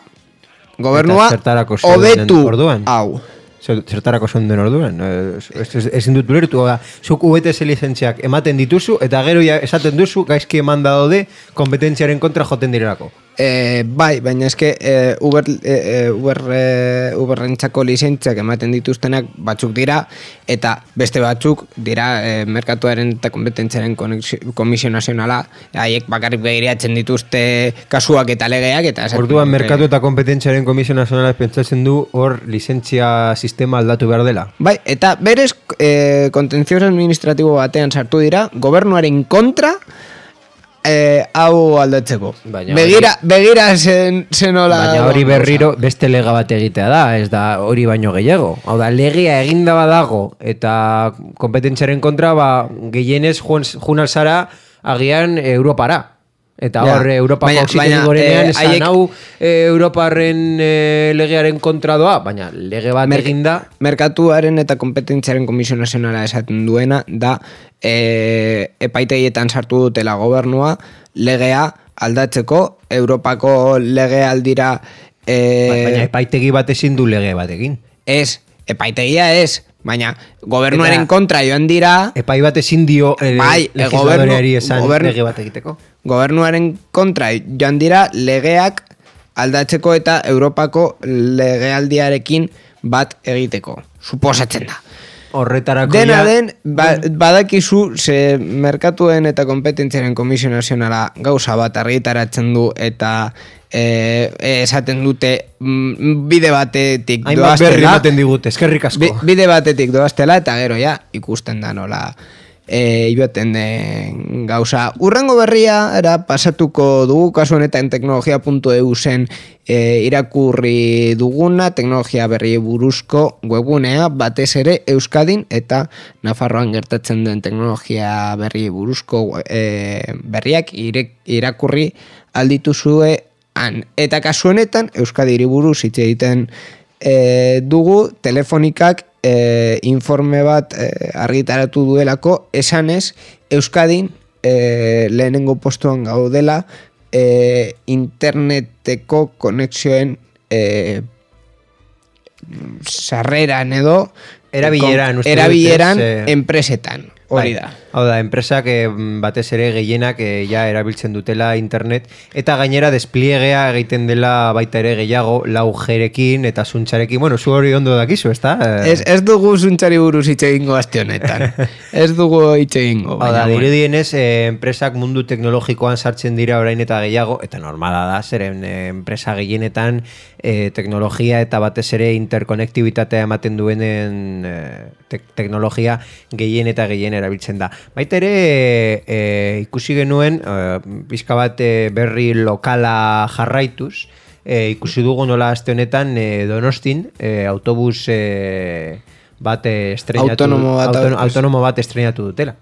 gobernua Eta zertarako zeuden hobetu orduan? hau. Zer- Zertarako zen den orduan. Eh, ez- ez- Ezin dut ulertu, hau da, zuk U B T S lizentziak ematen dituzu, eta gero ja esaten duzu, gaizki eman daude, kompetentziaren kontra joten direlako. E, bai, baina eske e, Uber, e, Uber, e, Uberrentzako lizentziak ematen dituztenak batzuk dira, eta beste batzuk dira e, Merkatuaren eta Kompetentziaren Konexio- Komisio Nazionala, haiek bakarrik begiratzen dituzte kasuak eta legeak, eta esaten Orduan, dute- Merkatu eta Kompetentziaren Komisio Nazionala pentsatzen du hor lizentzia sistema aldatu behar dela. Bai, eta berez e, kontentzioz administratibo batean sartu dira, gobernuaren kontra e, hau aldatzeko. Baina begira, begira zen, zenola... Baina hori berriro beste lega bat egitea da, ez da hori baino gehiago. Hau da, legea eginda badago eta kompetentziaren kontra, ba, gehienez jun, jun alzara agian Europara. Eta Ja. hor, Europako Baina- auzitegi baina, gorenean, eh, esan haiek- hau eh, Europarren eh, legearen kontra doa, baina lege bat Mer- eginda, Merkatuaren eta kompetentziaren komisio nazionala esaten duena da e, epaitegietan sartu dutela gobernua legea aldatzeko Europako legealdira e, ba- baina epaitegi bat ezin du lege bat egin. ez, epaitegia ez, baina gobernuaren Eta- kontra joan dira Epai bat ezin dio eh, Bai, eh, legisladoreari gobernu- esan gobernu- lege bat egiteko. gobernuaren kontra joan dira legeak aldatzeko eta Europako legealdiarekin bat egiteko. Suposatzen da. Horretarako Dena ja- den, ba, badakizu, ze merkatuen eta kompetentziaren komisio nazionala gauza bat argitaratzen du eta e, esaten dute mm, bide batetik Hainbat berri doaztela. ematen digute, eskerrik asko. Bi- bide batetik doaztela eta gero ja ikusten da nola e, joaten den gauza. Urrengo berria era pasatuko dugu, kasu honetan teknologia puntu e u zen e, irakurri duguna, teknologia berri buruzko webgunea, batez ere Euskadin eta Nafarroan gertatzen den teknologia berri buruzko e, berriak ire, irakurri aldituzue han. Eta kasu honetan Euskadiri buruz hitz egiten e, dugu, telefonikak e, informe bat e, argitaratu duelako, esanez Euskadin e, lehenengo postuan gaudela e, interneteko konexioen e, sarreran edo Erabileran, uste dut, erabileran ez, eh, enpresetan, hori da. Hau da, enpresak eh, batez ere gehienak eh, ja erabiltzen dutela internet eta gainera despliegea egiten dela baita ere gehiago lau G-rekin eta zuntxarekin. Bueno, zu hori ondo dakizu, ezta? Eh, Ez, ez dugu zuntzari buruz hitz egingo aste honetan. Ez dugu hitz egingo. Hau da, baina, bueno. dirudienez, eh, enpresak mundu teknologikoan sartzen dira orain eta gehiago, eta normala da, zeren eh, enpresa gehienetan eh, teknologia eta batez ere interkonektibitatea ematen duenen eh, tek teknologia gehien eta gehien erabiltzen da. Baita ere, e, ikusi genuen, e, pixka bat e, berri lokala jarraituz, e, ikusi dugu nola aste honetan e, Donostin, e, autobus e, bat e, estrenatu, Autonomo bat, autono, autobus. autonomo bat estrenatu dutela.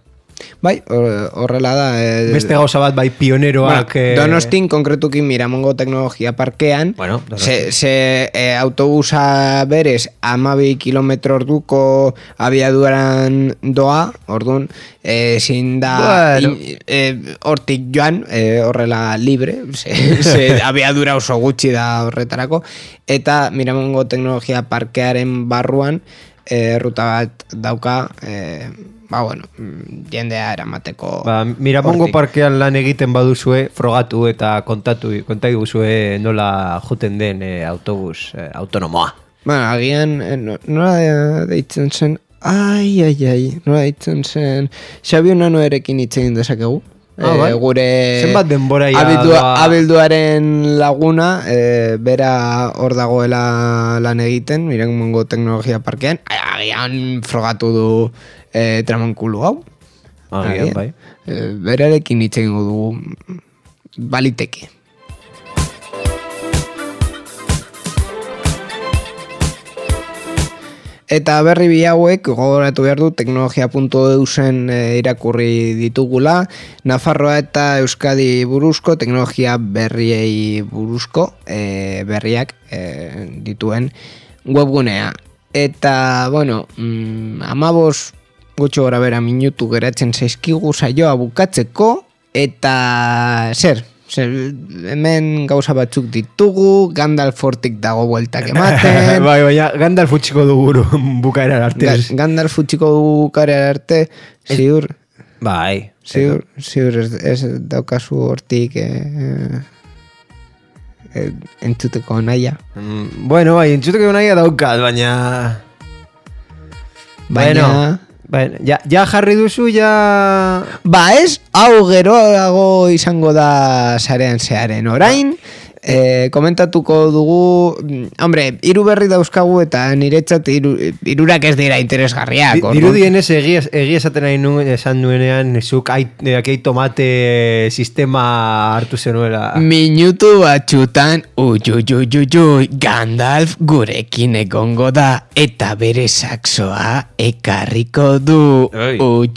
Bai, hor- horrela da. eh, Beste gauza bat bai pioneroak... Bueno, eh, Donostin konkretuki Miramongo teknologia parkean, Bueno, ze, Donostin. ze e, autobusa berez amabi kilometro orduko abiaduran doa, orduan, e, ezin da Bueno. in- e, hortik joan, e, horrela libre, ze, ze abiadura oso gutxi da horretarako, eta Miramongo teknologia parkearen barruan, e, ruta bat dauka, e, ba bueno, mm, jendea eramateko. Ba, Miramongo hortik. parkean lan egiten baduzue, frogatu eta kontatu konta iguzue nola juten den eh, autobus eh, autonomoa. Bueno, agian, eh, no- nola de- deitzen zen, ai, ai, ai, nola deitzen zen, Xabi Unano erekin hitz egin dezakegu. Ah, bai. Gure Zenbat denbora ja abildua, doa- abilduaren laguna, eh, bera hor dagoela lan egiten, Miramongo teknologia parkean, agian frogatu du eh, tramankulu hau. Agian, bai. Eh, berarekin hitz egingo dugu baliteke. Eta berri bi hauek gogoratu behar du teknologia puntu e u zen e, irakurri ditugula, Nafarroa eta Euskadi buruzko teknologia berriei buruzko e, berriak e, dituen webgunea. Eta, bueno, mm, amabos gutxo gora bera minutu geratzen zaizkigu saioa bukatzeko, eta zer, zer, hemen gauza batzuk ditugu, Gandalf hortik dago bueltak ematen, bai, baina Gandalf utxiko dugu bukaera arte. Ga- Gandalf utxiko du karea arte, ziur, Bai. ziur, ziur ez, ez daukazu hortik eh, eh, entzuteko naia. Mm, bueno, bai, entzuteko nahi daukat, baina... Baina, Bueno, baina, ja, ja jarri duzu, ja... ba ez, hau geroago izango da sarean zearen orain, E, komentatuko dugu, hombre, hiru berri dauzkagu eta niretzat hiru, hirurak ez dira interesgarriak. Di, dirudienez egia, egia esaten nahi nuen, esan nuenean, zuk akei tomate sistema hartu zenuela. Minutu batxutan, ui, Gandalf gurekin egongo da eta bere saxoa ekarriko du. Ui,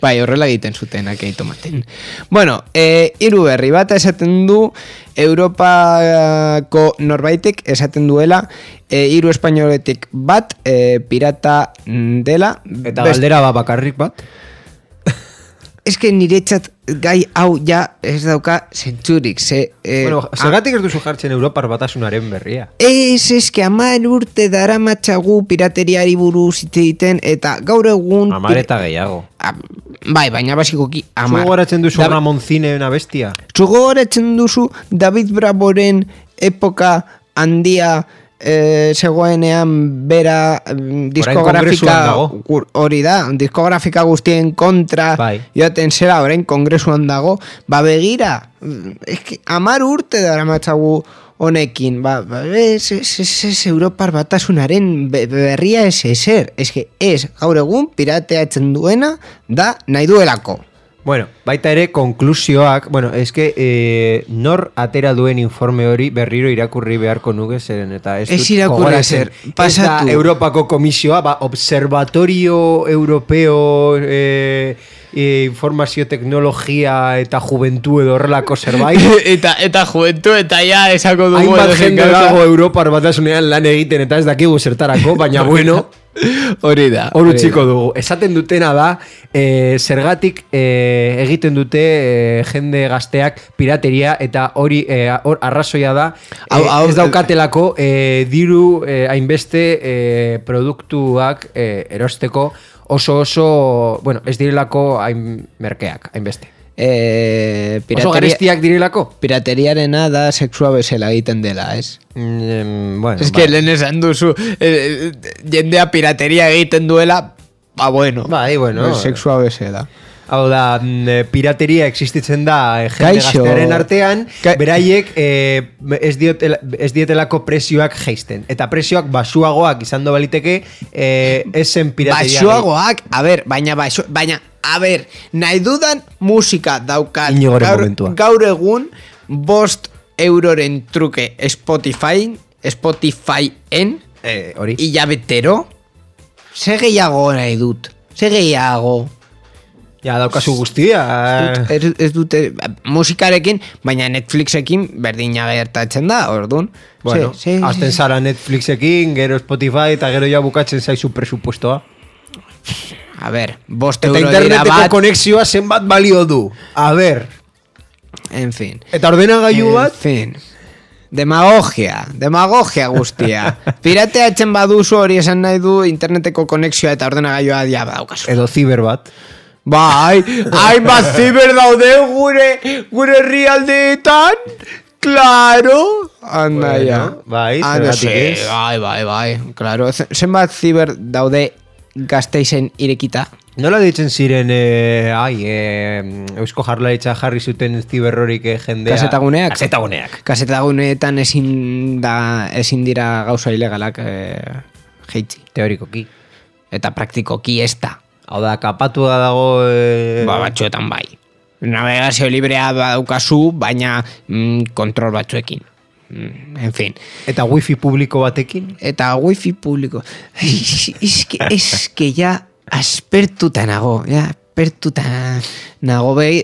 bai, horrela egiten zuten akei tomaten. Bueno, e, hiru berri bat esaten du, Europako norbaitek esaten duela e, hiru espainoletik bat e, pirata dela. Eta best... galdera ba bakarrik bat? Ez que niretzat gai hau ja ez dauka zentzurik. Ze, e, bueno, zergatik ez duzu jartzen Europar batasunaren berria? Ez, ez que amar urte dara matxagu pirateriari buruz hitz egiten eta gaur egun... Amar eta gehiago. A, bai, baina basikoki amar. Zugo goratzen duzu da... Ramoncine una bestia? Zugo goratzen duzu David Bravoren epoka handia... E, zegoenean bera diskografika hori da, diskografika guztien kontra bai. Joaten zera, orain kongresuan dago, ba begira eski, amar urte dara matzagu honekin, ba, ba ez, ez, ez, ez Europar batasunaren berria ez ezer, ez que ez gaur egun pirateatzen duena da nahi duelako. Bueno, baita ere, konklusioak, bueno, eske eh, nor atera duen informe hori berriro irakurri beharko nuke zeren, eta ez, ez irakurri zer, pasatu. Ez da Europako komisioa, ba, Observatorio Europeo eh, eh, Informazio Teknologia eta Juventu edo horrelako zerbait. eta, eta Juventu eta ja esako dugu. Hainbat jende dago Europar batasunean lan egiten eta ez dakigu zertarako, baina bueno... Hori da. Hor utziko dugu. Esaten dutena da, e, zergatik e, egiten dute e, jende gazteak pirateria eta hori e, hor arrazoia da e, ez daukatelako e, diru e, hainbeste e, produktuak e, erosteko oso oso, bueno, ez direlako hain merkeak, hainbeste. Eh, oso garestiak direlako? Pirateriarena da sexua bezala egiten dela, ez? Mm, bueno, es que lehen esan duzu eh, jendea pirateria egiten duela, ba bueno, bai, bueno sexua bezala. Hau da, pirateria existitzen da eh, jende gaztearen artean, Ka beraiek eh, ez, diotela, ez dietelako presioak geisten. Eta presioak basuagoak izan do baliteke, eh, esen pirateria. Basuagoak, a ber, baina basu, baina a ber, nahi dudan musika daukat gaur, gaur egun bost euroren truke Spotify Spotifyen eh, hori hilabetero ze gehiago nahi dut ze gehiago ja daukazu guztia ez, ez dute musikarekin baina Netflixekin berdina gertatzen da orduan bueno, azten zara Netflixekin gero Spotify eta gero ja bukatzen zaizu presupuestoa. A ver, bost eta euro dira bat. Eta interneteko konexioa zenbat balio du. A ver. En fin. Eta ordenagailu bat? En fin. Demagogia. Demagogia guztia. Pirateatzen baduzu hori esan nahi du interneteko konexioa eta ordenagailua dia badaukazu. Edo ziber bat. Bai, hainbat ziber daude gure, gure herrialdeetan. Claro. Anda bueno, ya. Bai, zergatik ez. Bai, bai, bai. Claro. Zenbat ziber daude Gasteizen irekita. Nola ditzen ziren eh, ai, eh, Eusko Jaurlaritza jarri zuten ziberrorik eh, jendea Kasetaguneak? Kasetaguneak. Kasetaguneetan ezin, da, ezin dira gauza ilegalak eh, jeitzi. Teorikoki. Eta praktikoki ez da. Hau da, kapatua dago... Eh... Ba, batzuetan bai. Navegazio librea daukazu, baina mm, kontrol batzuekin. En fin. Eta wifi publiko batekin? Eta wifi publiko. Eske, eske ja aspertuta nago, ja, aspertuta nago. Be,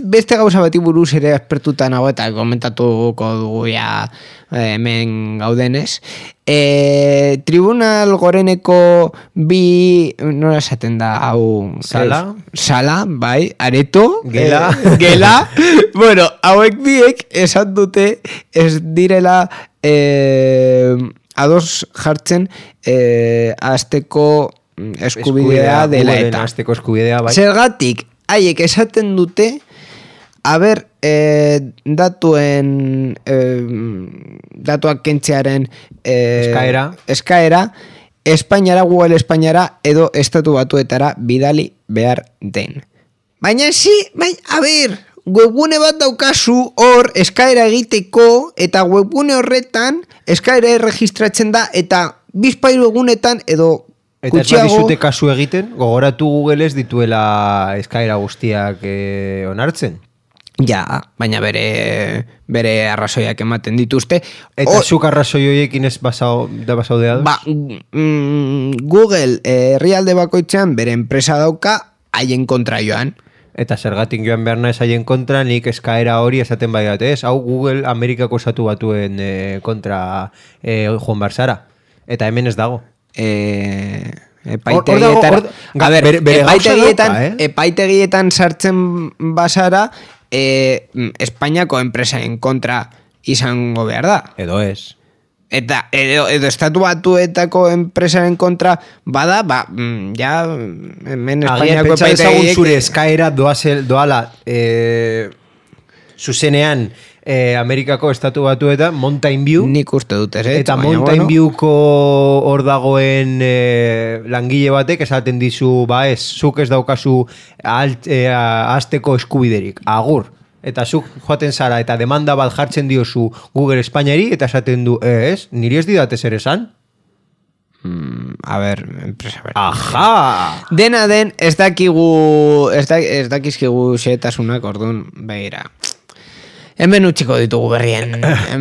beste gauza bati buruz ere aspertuta nago eta komentatuko dugu ja hemen gaudenez. E, Tribunal Goreneko bi, nola esaten da, hau... Sala? Ez, sala, bai, areto. Gela. Eh, gela. Bueno, hauek biek esan dute ez direla eh, ados jartzen eh, azteko eskubidea dela eta. Azteko eskubidea, bai. Zergatik, haiek esaten dute a ber, eh, datuen eh, datuak kentzearen eh, eskaera eskaera Espainiara, Google Espainiara edo estatu batuetara bidali behar den. Baina si, bai, a ber, webgune bat daukazu hor eskaera egiteko, eta webgune horretan eskaera erregistratzen da, eta bizpairu egunetan edo Eta ez gutxiago... badizute kasu egiten, gogoratu Google ez dituela eskaera guztiak eh, onartzen. Ja, baina bere bere arrazoiak ematen dituzte. Eta O- zuk arrazoi horiekin ez basao, da basao de Ba, mm, Google eh, herrialde bakoitzean bere enpresa dauka haien kontra joan. Eta zergatik joan behar nahez haien kontra, nik eskaera hori esaten bai dut, ez? Hau Google Amerikako estatu batuen eh, kontra eh, joan barzara. Eta hemen ez dago. Eh, Hor- hor dago, epaitegietan, hor- a ber, bere- bere gauza epaitegietan, dauka, eh? epaitegietan sartzen basara eh, Espainiako enpresaren kontra izango behar da. Edo ez. Eta edo, edo estatu batuetako enpresaren kontra bada, ba, mm, ja hemen Agian Espainiako pentsa dezagun epaitegiek- zure eskaera doazel, doala eh, zuzenean eh, Amerikako estatu batuetan Mountain View. Nik uste dut ez, Eta baina, Mountain bueno. Viewko hor dagoen eh, langile batek esaten dizu, ba ez, zuk ez daukazu alt, eh, azteko eskubiderik, agur. Eta zuk joaten zara eta demanda bat jartzen diozu Google Espainiari eta esaten du, eh, ez, niri ez didate zer esan? Mm, a ber, enpresa ber. Aja! Dena den, ez dakigu, ez, da, ez dakizkigu xehetasunak, orduan, begira. Hemen utxiko ditugu berrien.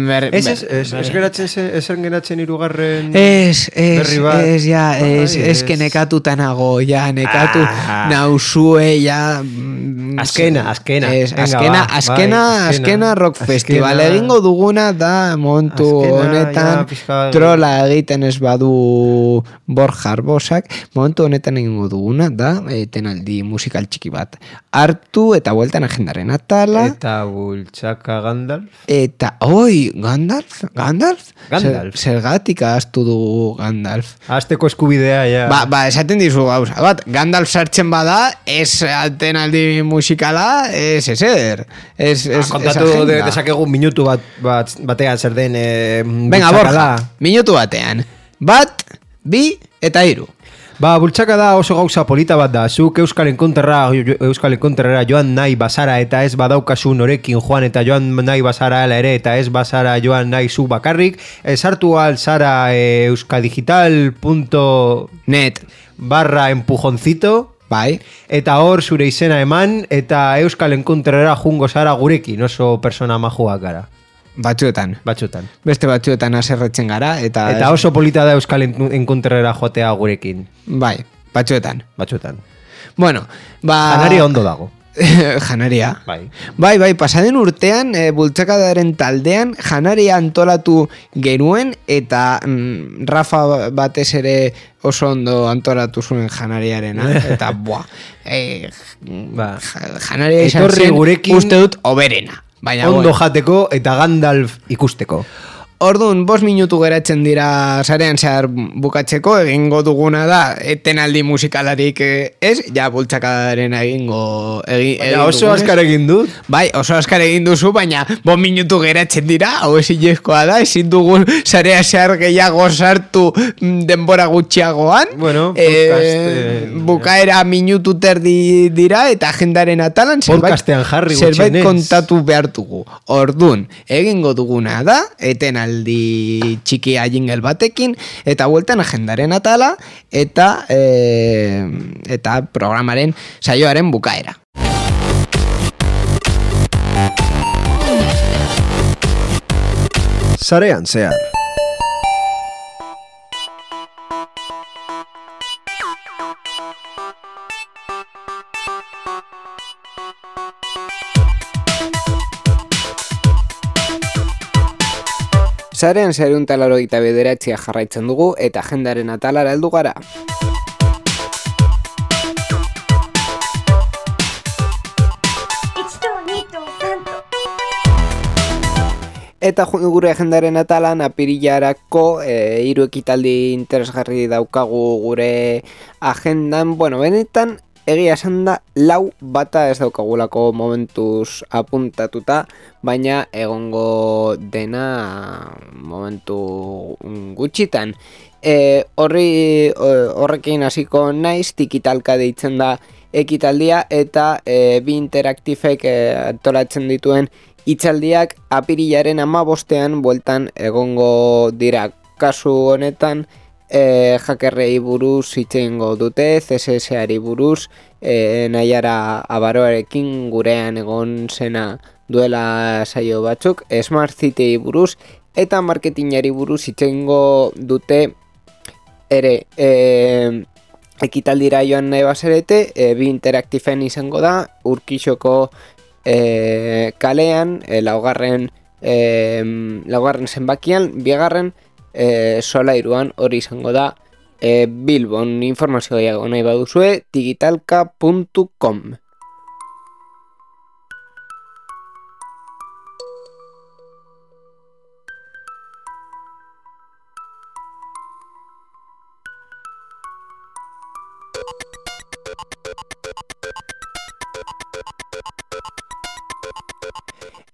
Ber, Ez, ez, ez, ez geratzen zen, ez geratzen irugarren Ez, ez, berri bat. ez, ja, ez, Ai, ez, que nekatuta nago, ja, nekatu Ah. nauzue, ja... mm, Azkena, azkena. Ez, Venga, azkena, ba, azkena, bai, azkena. azkena rock Azkena. festival. Egingo duguna da montu Azkena, honetan ja, pixka- trola egiten ez badu Borja Arbosak, momentu honetan egingo duguna da etenaldi musikal txiki bat. Hartu eta bueltan agendaren atala. Eta bultzaka Gandalf. Eta, oi, Gandalf? Gandalf? Gandalf. Zer, zergatik ahaztu dugu Gandalf. Azteko eskubidea, ja. Ba, ba, esaten dizu gauza bat, Gandalf sartzen bada, ez atenaldi musikala, ez ezer. Ez, ez, Ah, kontatu ez de, agenda. desakegu minutu bat, bat batean zer den eh, Venga, bultzakada. Borja, minutu batean. Bat, bi eta hiru. Ba, bultzaka da oso gauza polita bat da. Zuk Euskal Enkonterra, Euskal Enkonterra joan nahi bazara eta ez badaukazu norekin joan eta joan nahi bazara ala ere eta ez bazara joan nahi zu bakarrik. Ez hartu alzara e, euskadigital punto Net, barra empujoncito bai. eta hor zure izena eman eta Euskal Enkonterra jungo zara gurekin oso persona majuak gara. Batzuetan. Batzutan. Beste batzuetan aserretzen gara, eta... Eta oso polita da Euskal Enkonterra joatea gurekin. Bai, batzuetan. Batzuetan. Bueno, ba... Janaria ondo dago. Janaria. Bai. Bai, bai, pasaden urtean, e, bultzakadaren taldean, janaria antolatu genuen, eta mm, Rafa batez ere oso ondo antolatu zuen janariarena, eta buah, e, Ba. janaria izan Etorri zen, gurekin- uste dut, oberena. Baina, Ondo bueno. jateko eta Gandalf ikusteko. Orduan, bost minutu geratzen dira sarean zehar bukatzeko, egingo duguna da, etenaldi musikalarik eh, ez, ja bultzakadaren egingo... Egi, Baina oso dugunez. azkar egin dut. Bai, oso azkar egin duzu, baina bost minutu geratzen dira, hau ezin jezkoa da, ezin dugun sarea zehar gehiago sartu mm, denbora gutxiagoan. Bueno, Eh, podcast, eh, bukaera minutu terdi dira, eta agendaren atalan zerbait, Podcastean jarri zerbait gutxienez. kontatu behar dugu. Ordun, egingo duguna da, etenaldi txikia jingle batekin, eta bueltan agendaren atala, eta e, eta programaren saioaren bukaera. Sarean zehar. Sarean zerun talaro eta bederatzia jarraitzen dugu, eta agendaren atalara heldu gara. Eta ju- gure agendaren atalan apirilarako e, hiru ekitaldi interesgarri daukagu gure agendan. Bueno, benetan egia esan da lau bata ez daukagulako momentuz apuntatuta, baina egongo dena momentu gutxitan. e, horri horrekin hasiko naiz, tikitalka deitzen da ekitaldia, eta e, bi interaktifek e, antolatzen dituen hitzaldiak apirilaren hamabostean bueltan egongo dira. Kasu honetan, e, hackerrei buruz hitz egingo dute, C S S-ari buruz, e, Naiara Abaroarekin gurean egon zena duela saio batzuk, Smart City buruz, eta marketingari buruz hitz egingo dute ere. E, ekitaldira joan nahi bazarete, e, bi interaktifen izango da, Urkixoko e, kalean, e, laugarren, e, laugarren zenbakian, bigarren, E, solairuan hori izango da e, Bilbon. Informazio gehiago nahi baduzue, digitalka puntu com.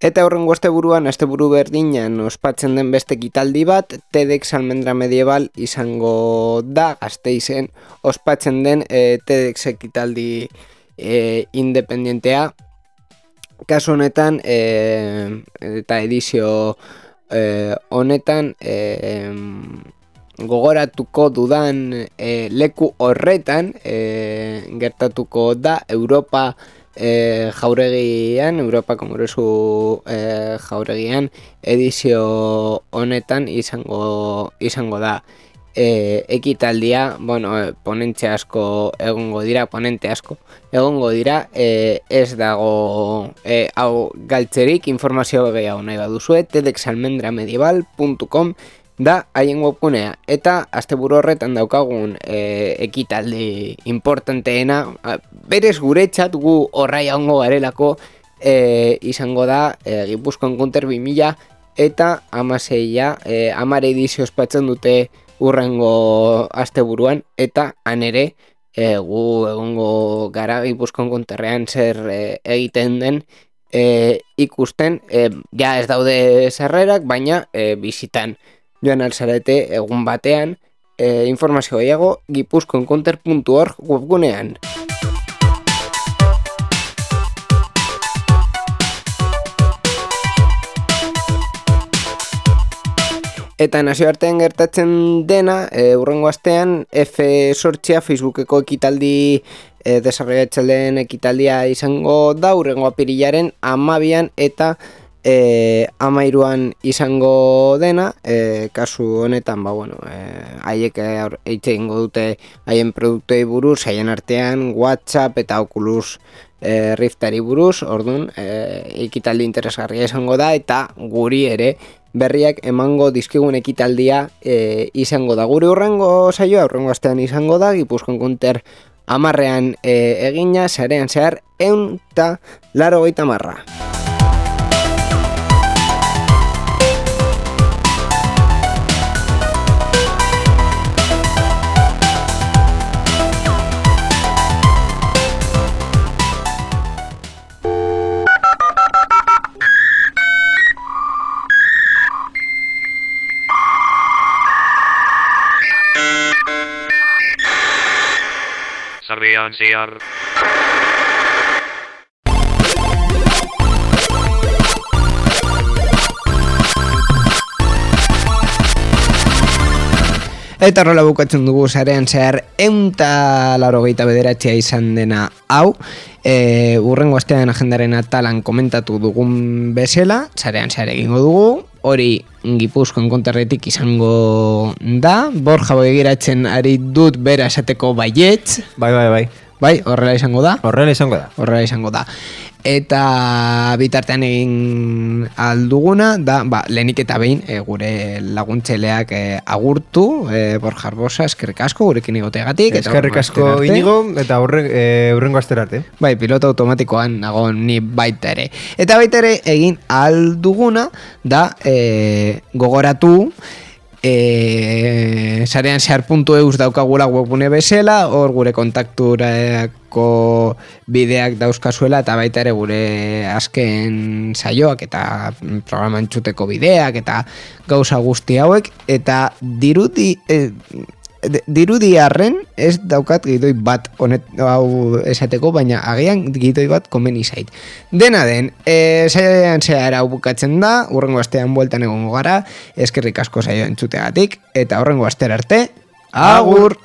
Eta horrengo asteburuan, asteburu berdinan ospatzen den beste ekitaldi bat, TEDx Almendra Medieval izango da, Gasteizen ospatzen den e, TEDx ekitaldi e, independentea. Kasu honetan, e, eta edizio e, honetan, e, gogoratuko dudan e, leku horretan, e, gertatuko da Europa E, jauregian, Europa Kongresu e, jauregian edizio honetan izango izango da e, ekitaldia. Bueno, e, ponentzia asko egongo dira, ponente asko egongo dira, e, ez dago e, hau galtzerik. Informazio gehiago nahi baduzue, tedx almendra medieval puntu com da haien webgunea, eta asteburu horretan daukagun e, ekitaldi importanteena, berez guretzat gu horrai hongo garelako, e, izango da e, Gipuzkoan Counter bi mila eta amaseia, e, amare edizio ospatzen dute urrengo asteburuan, eta han ere e, gu egongo gara Gipuzkoan Counterrean zer e, egiten den e, ikusten, e, ja ez daude sarrerak, baina e, bizitan joan alzarete egun batean. E, informazio gehiago gipuzkoan counter puntu org webgunean. Eta nazioartean gertatzen dena, e, urrengo astean F zortzia Facebookeko ekitaldi e, desarrollatzaileen ekitaldia izango da, urrengo apirilaren amabian eta E, amairuan izango dena. E, kasu honetan, ba, bueno, e, haiek eitxe ingo dute haien produktei buruz, haien artean WhatsApp eta Oculus e, Riftari buruz, orduan e, ekitaldi interesgarria izango da, eta guri ere berriak emango dizkigun ekitaldia e, izango da. Guri urrengo saioa, urrengo astean izango da, Gipuzkoan Counter amarrean e, egina, sarean zehar eun eta laro goita marra. Sarean zehar. Eta horrela bukatzen dugu sarean zehar eun eta laurogeita bederatzi izan dena hau. E, urrengo astean agendaren atalan komentatu dugun bezala, sarean zehar egingo dugu. Hori Gipuzkoan Counterretik izango da. Borja begiratzen ari dut bera esateko baietz. Bai, bai, bai. Bai, horrela izango da. Horrela izango da. Horrela izango da. Eta bitartean egin alduguna da, ba, lehenik eta behin e, gure laguntzeleak e, agurtu, e, Borja Arbosa, eskerrik asko gurekin egoteagatik. Eskerrik asko Inigo, eta horre, e, urrengo asterarte. Bai, piloto automatikoan nago ni baita ere. Eta baita ere egin alduguna da e, gogoratu, E, sarean zehar puntu eus daukagula webgune bezala, hor gure kontaktura egiteko bideak dauzkazuela eta baita ere gure azken saioak eta programa entzuteko bideak eta gauza guzti hauek eta dirudi eh, dirudi arren ez daukat gidoi bat honet hau esateko, baina agian gidoi bat komeni zait. Dena den, e, saioan zehar hau bukatzen da, urrengo astean bueltan egongo gara, eskerrik asko saioa entzuteagatik, eta urrengo astera arte, agur!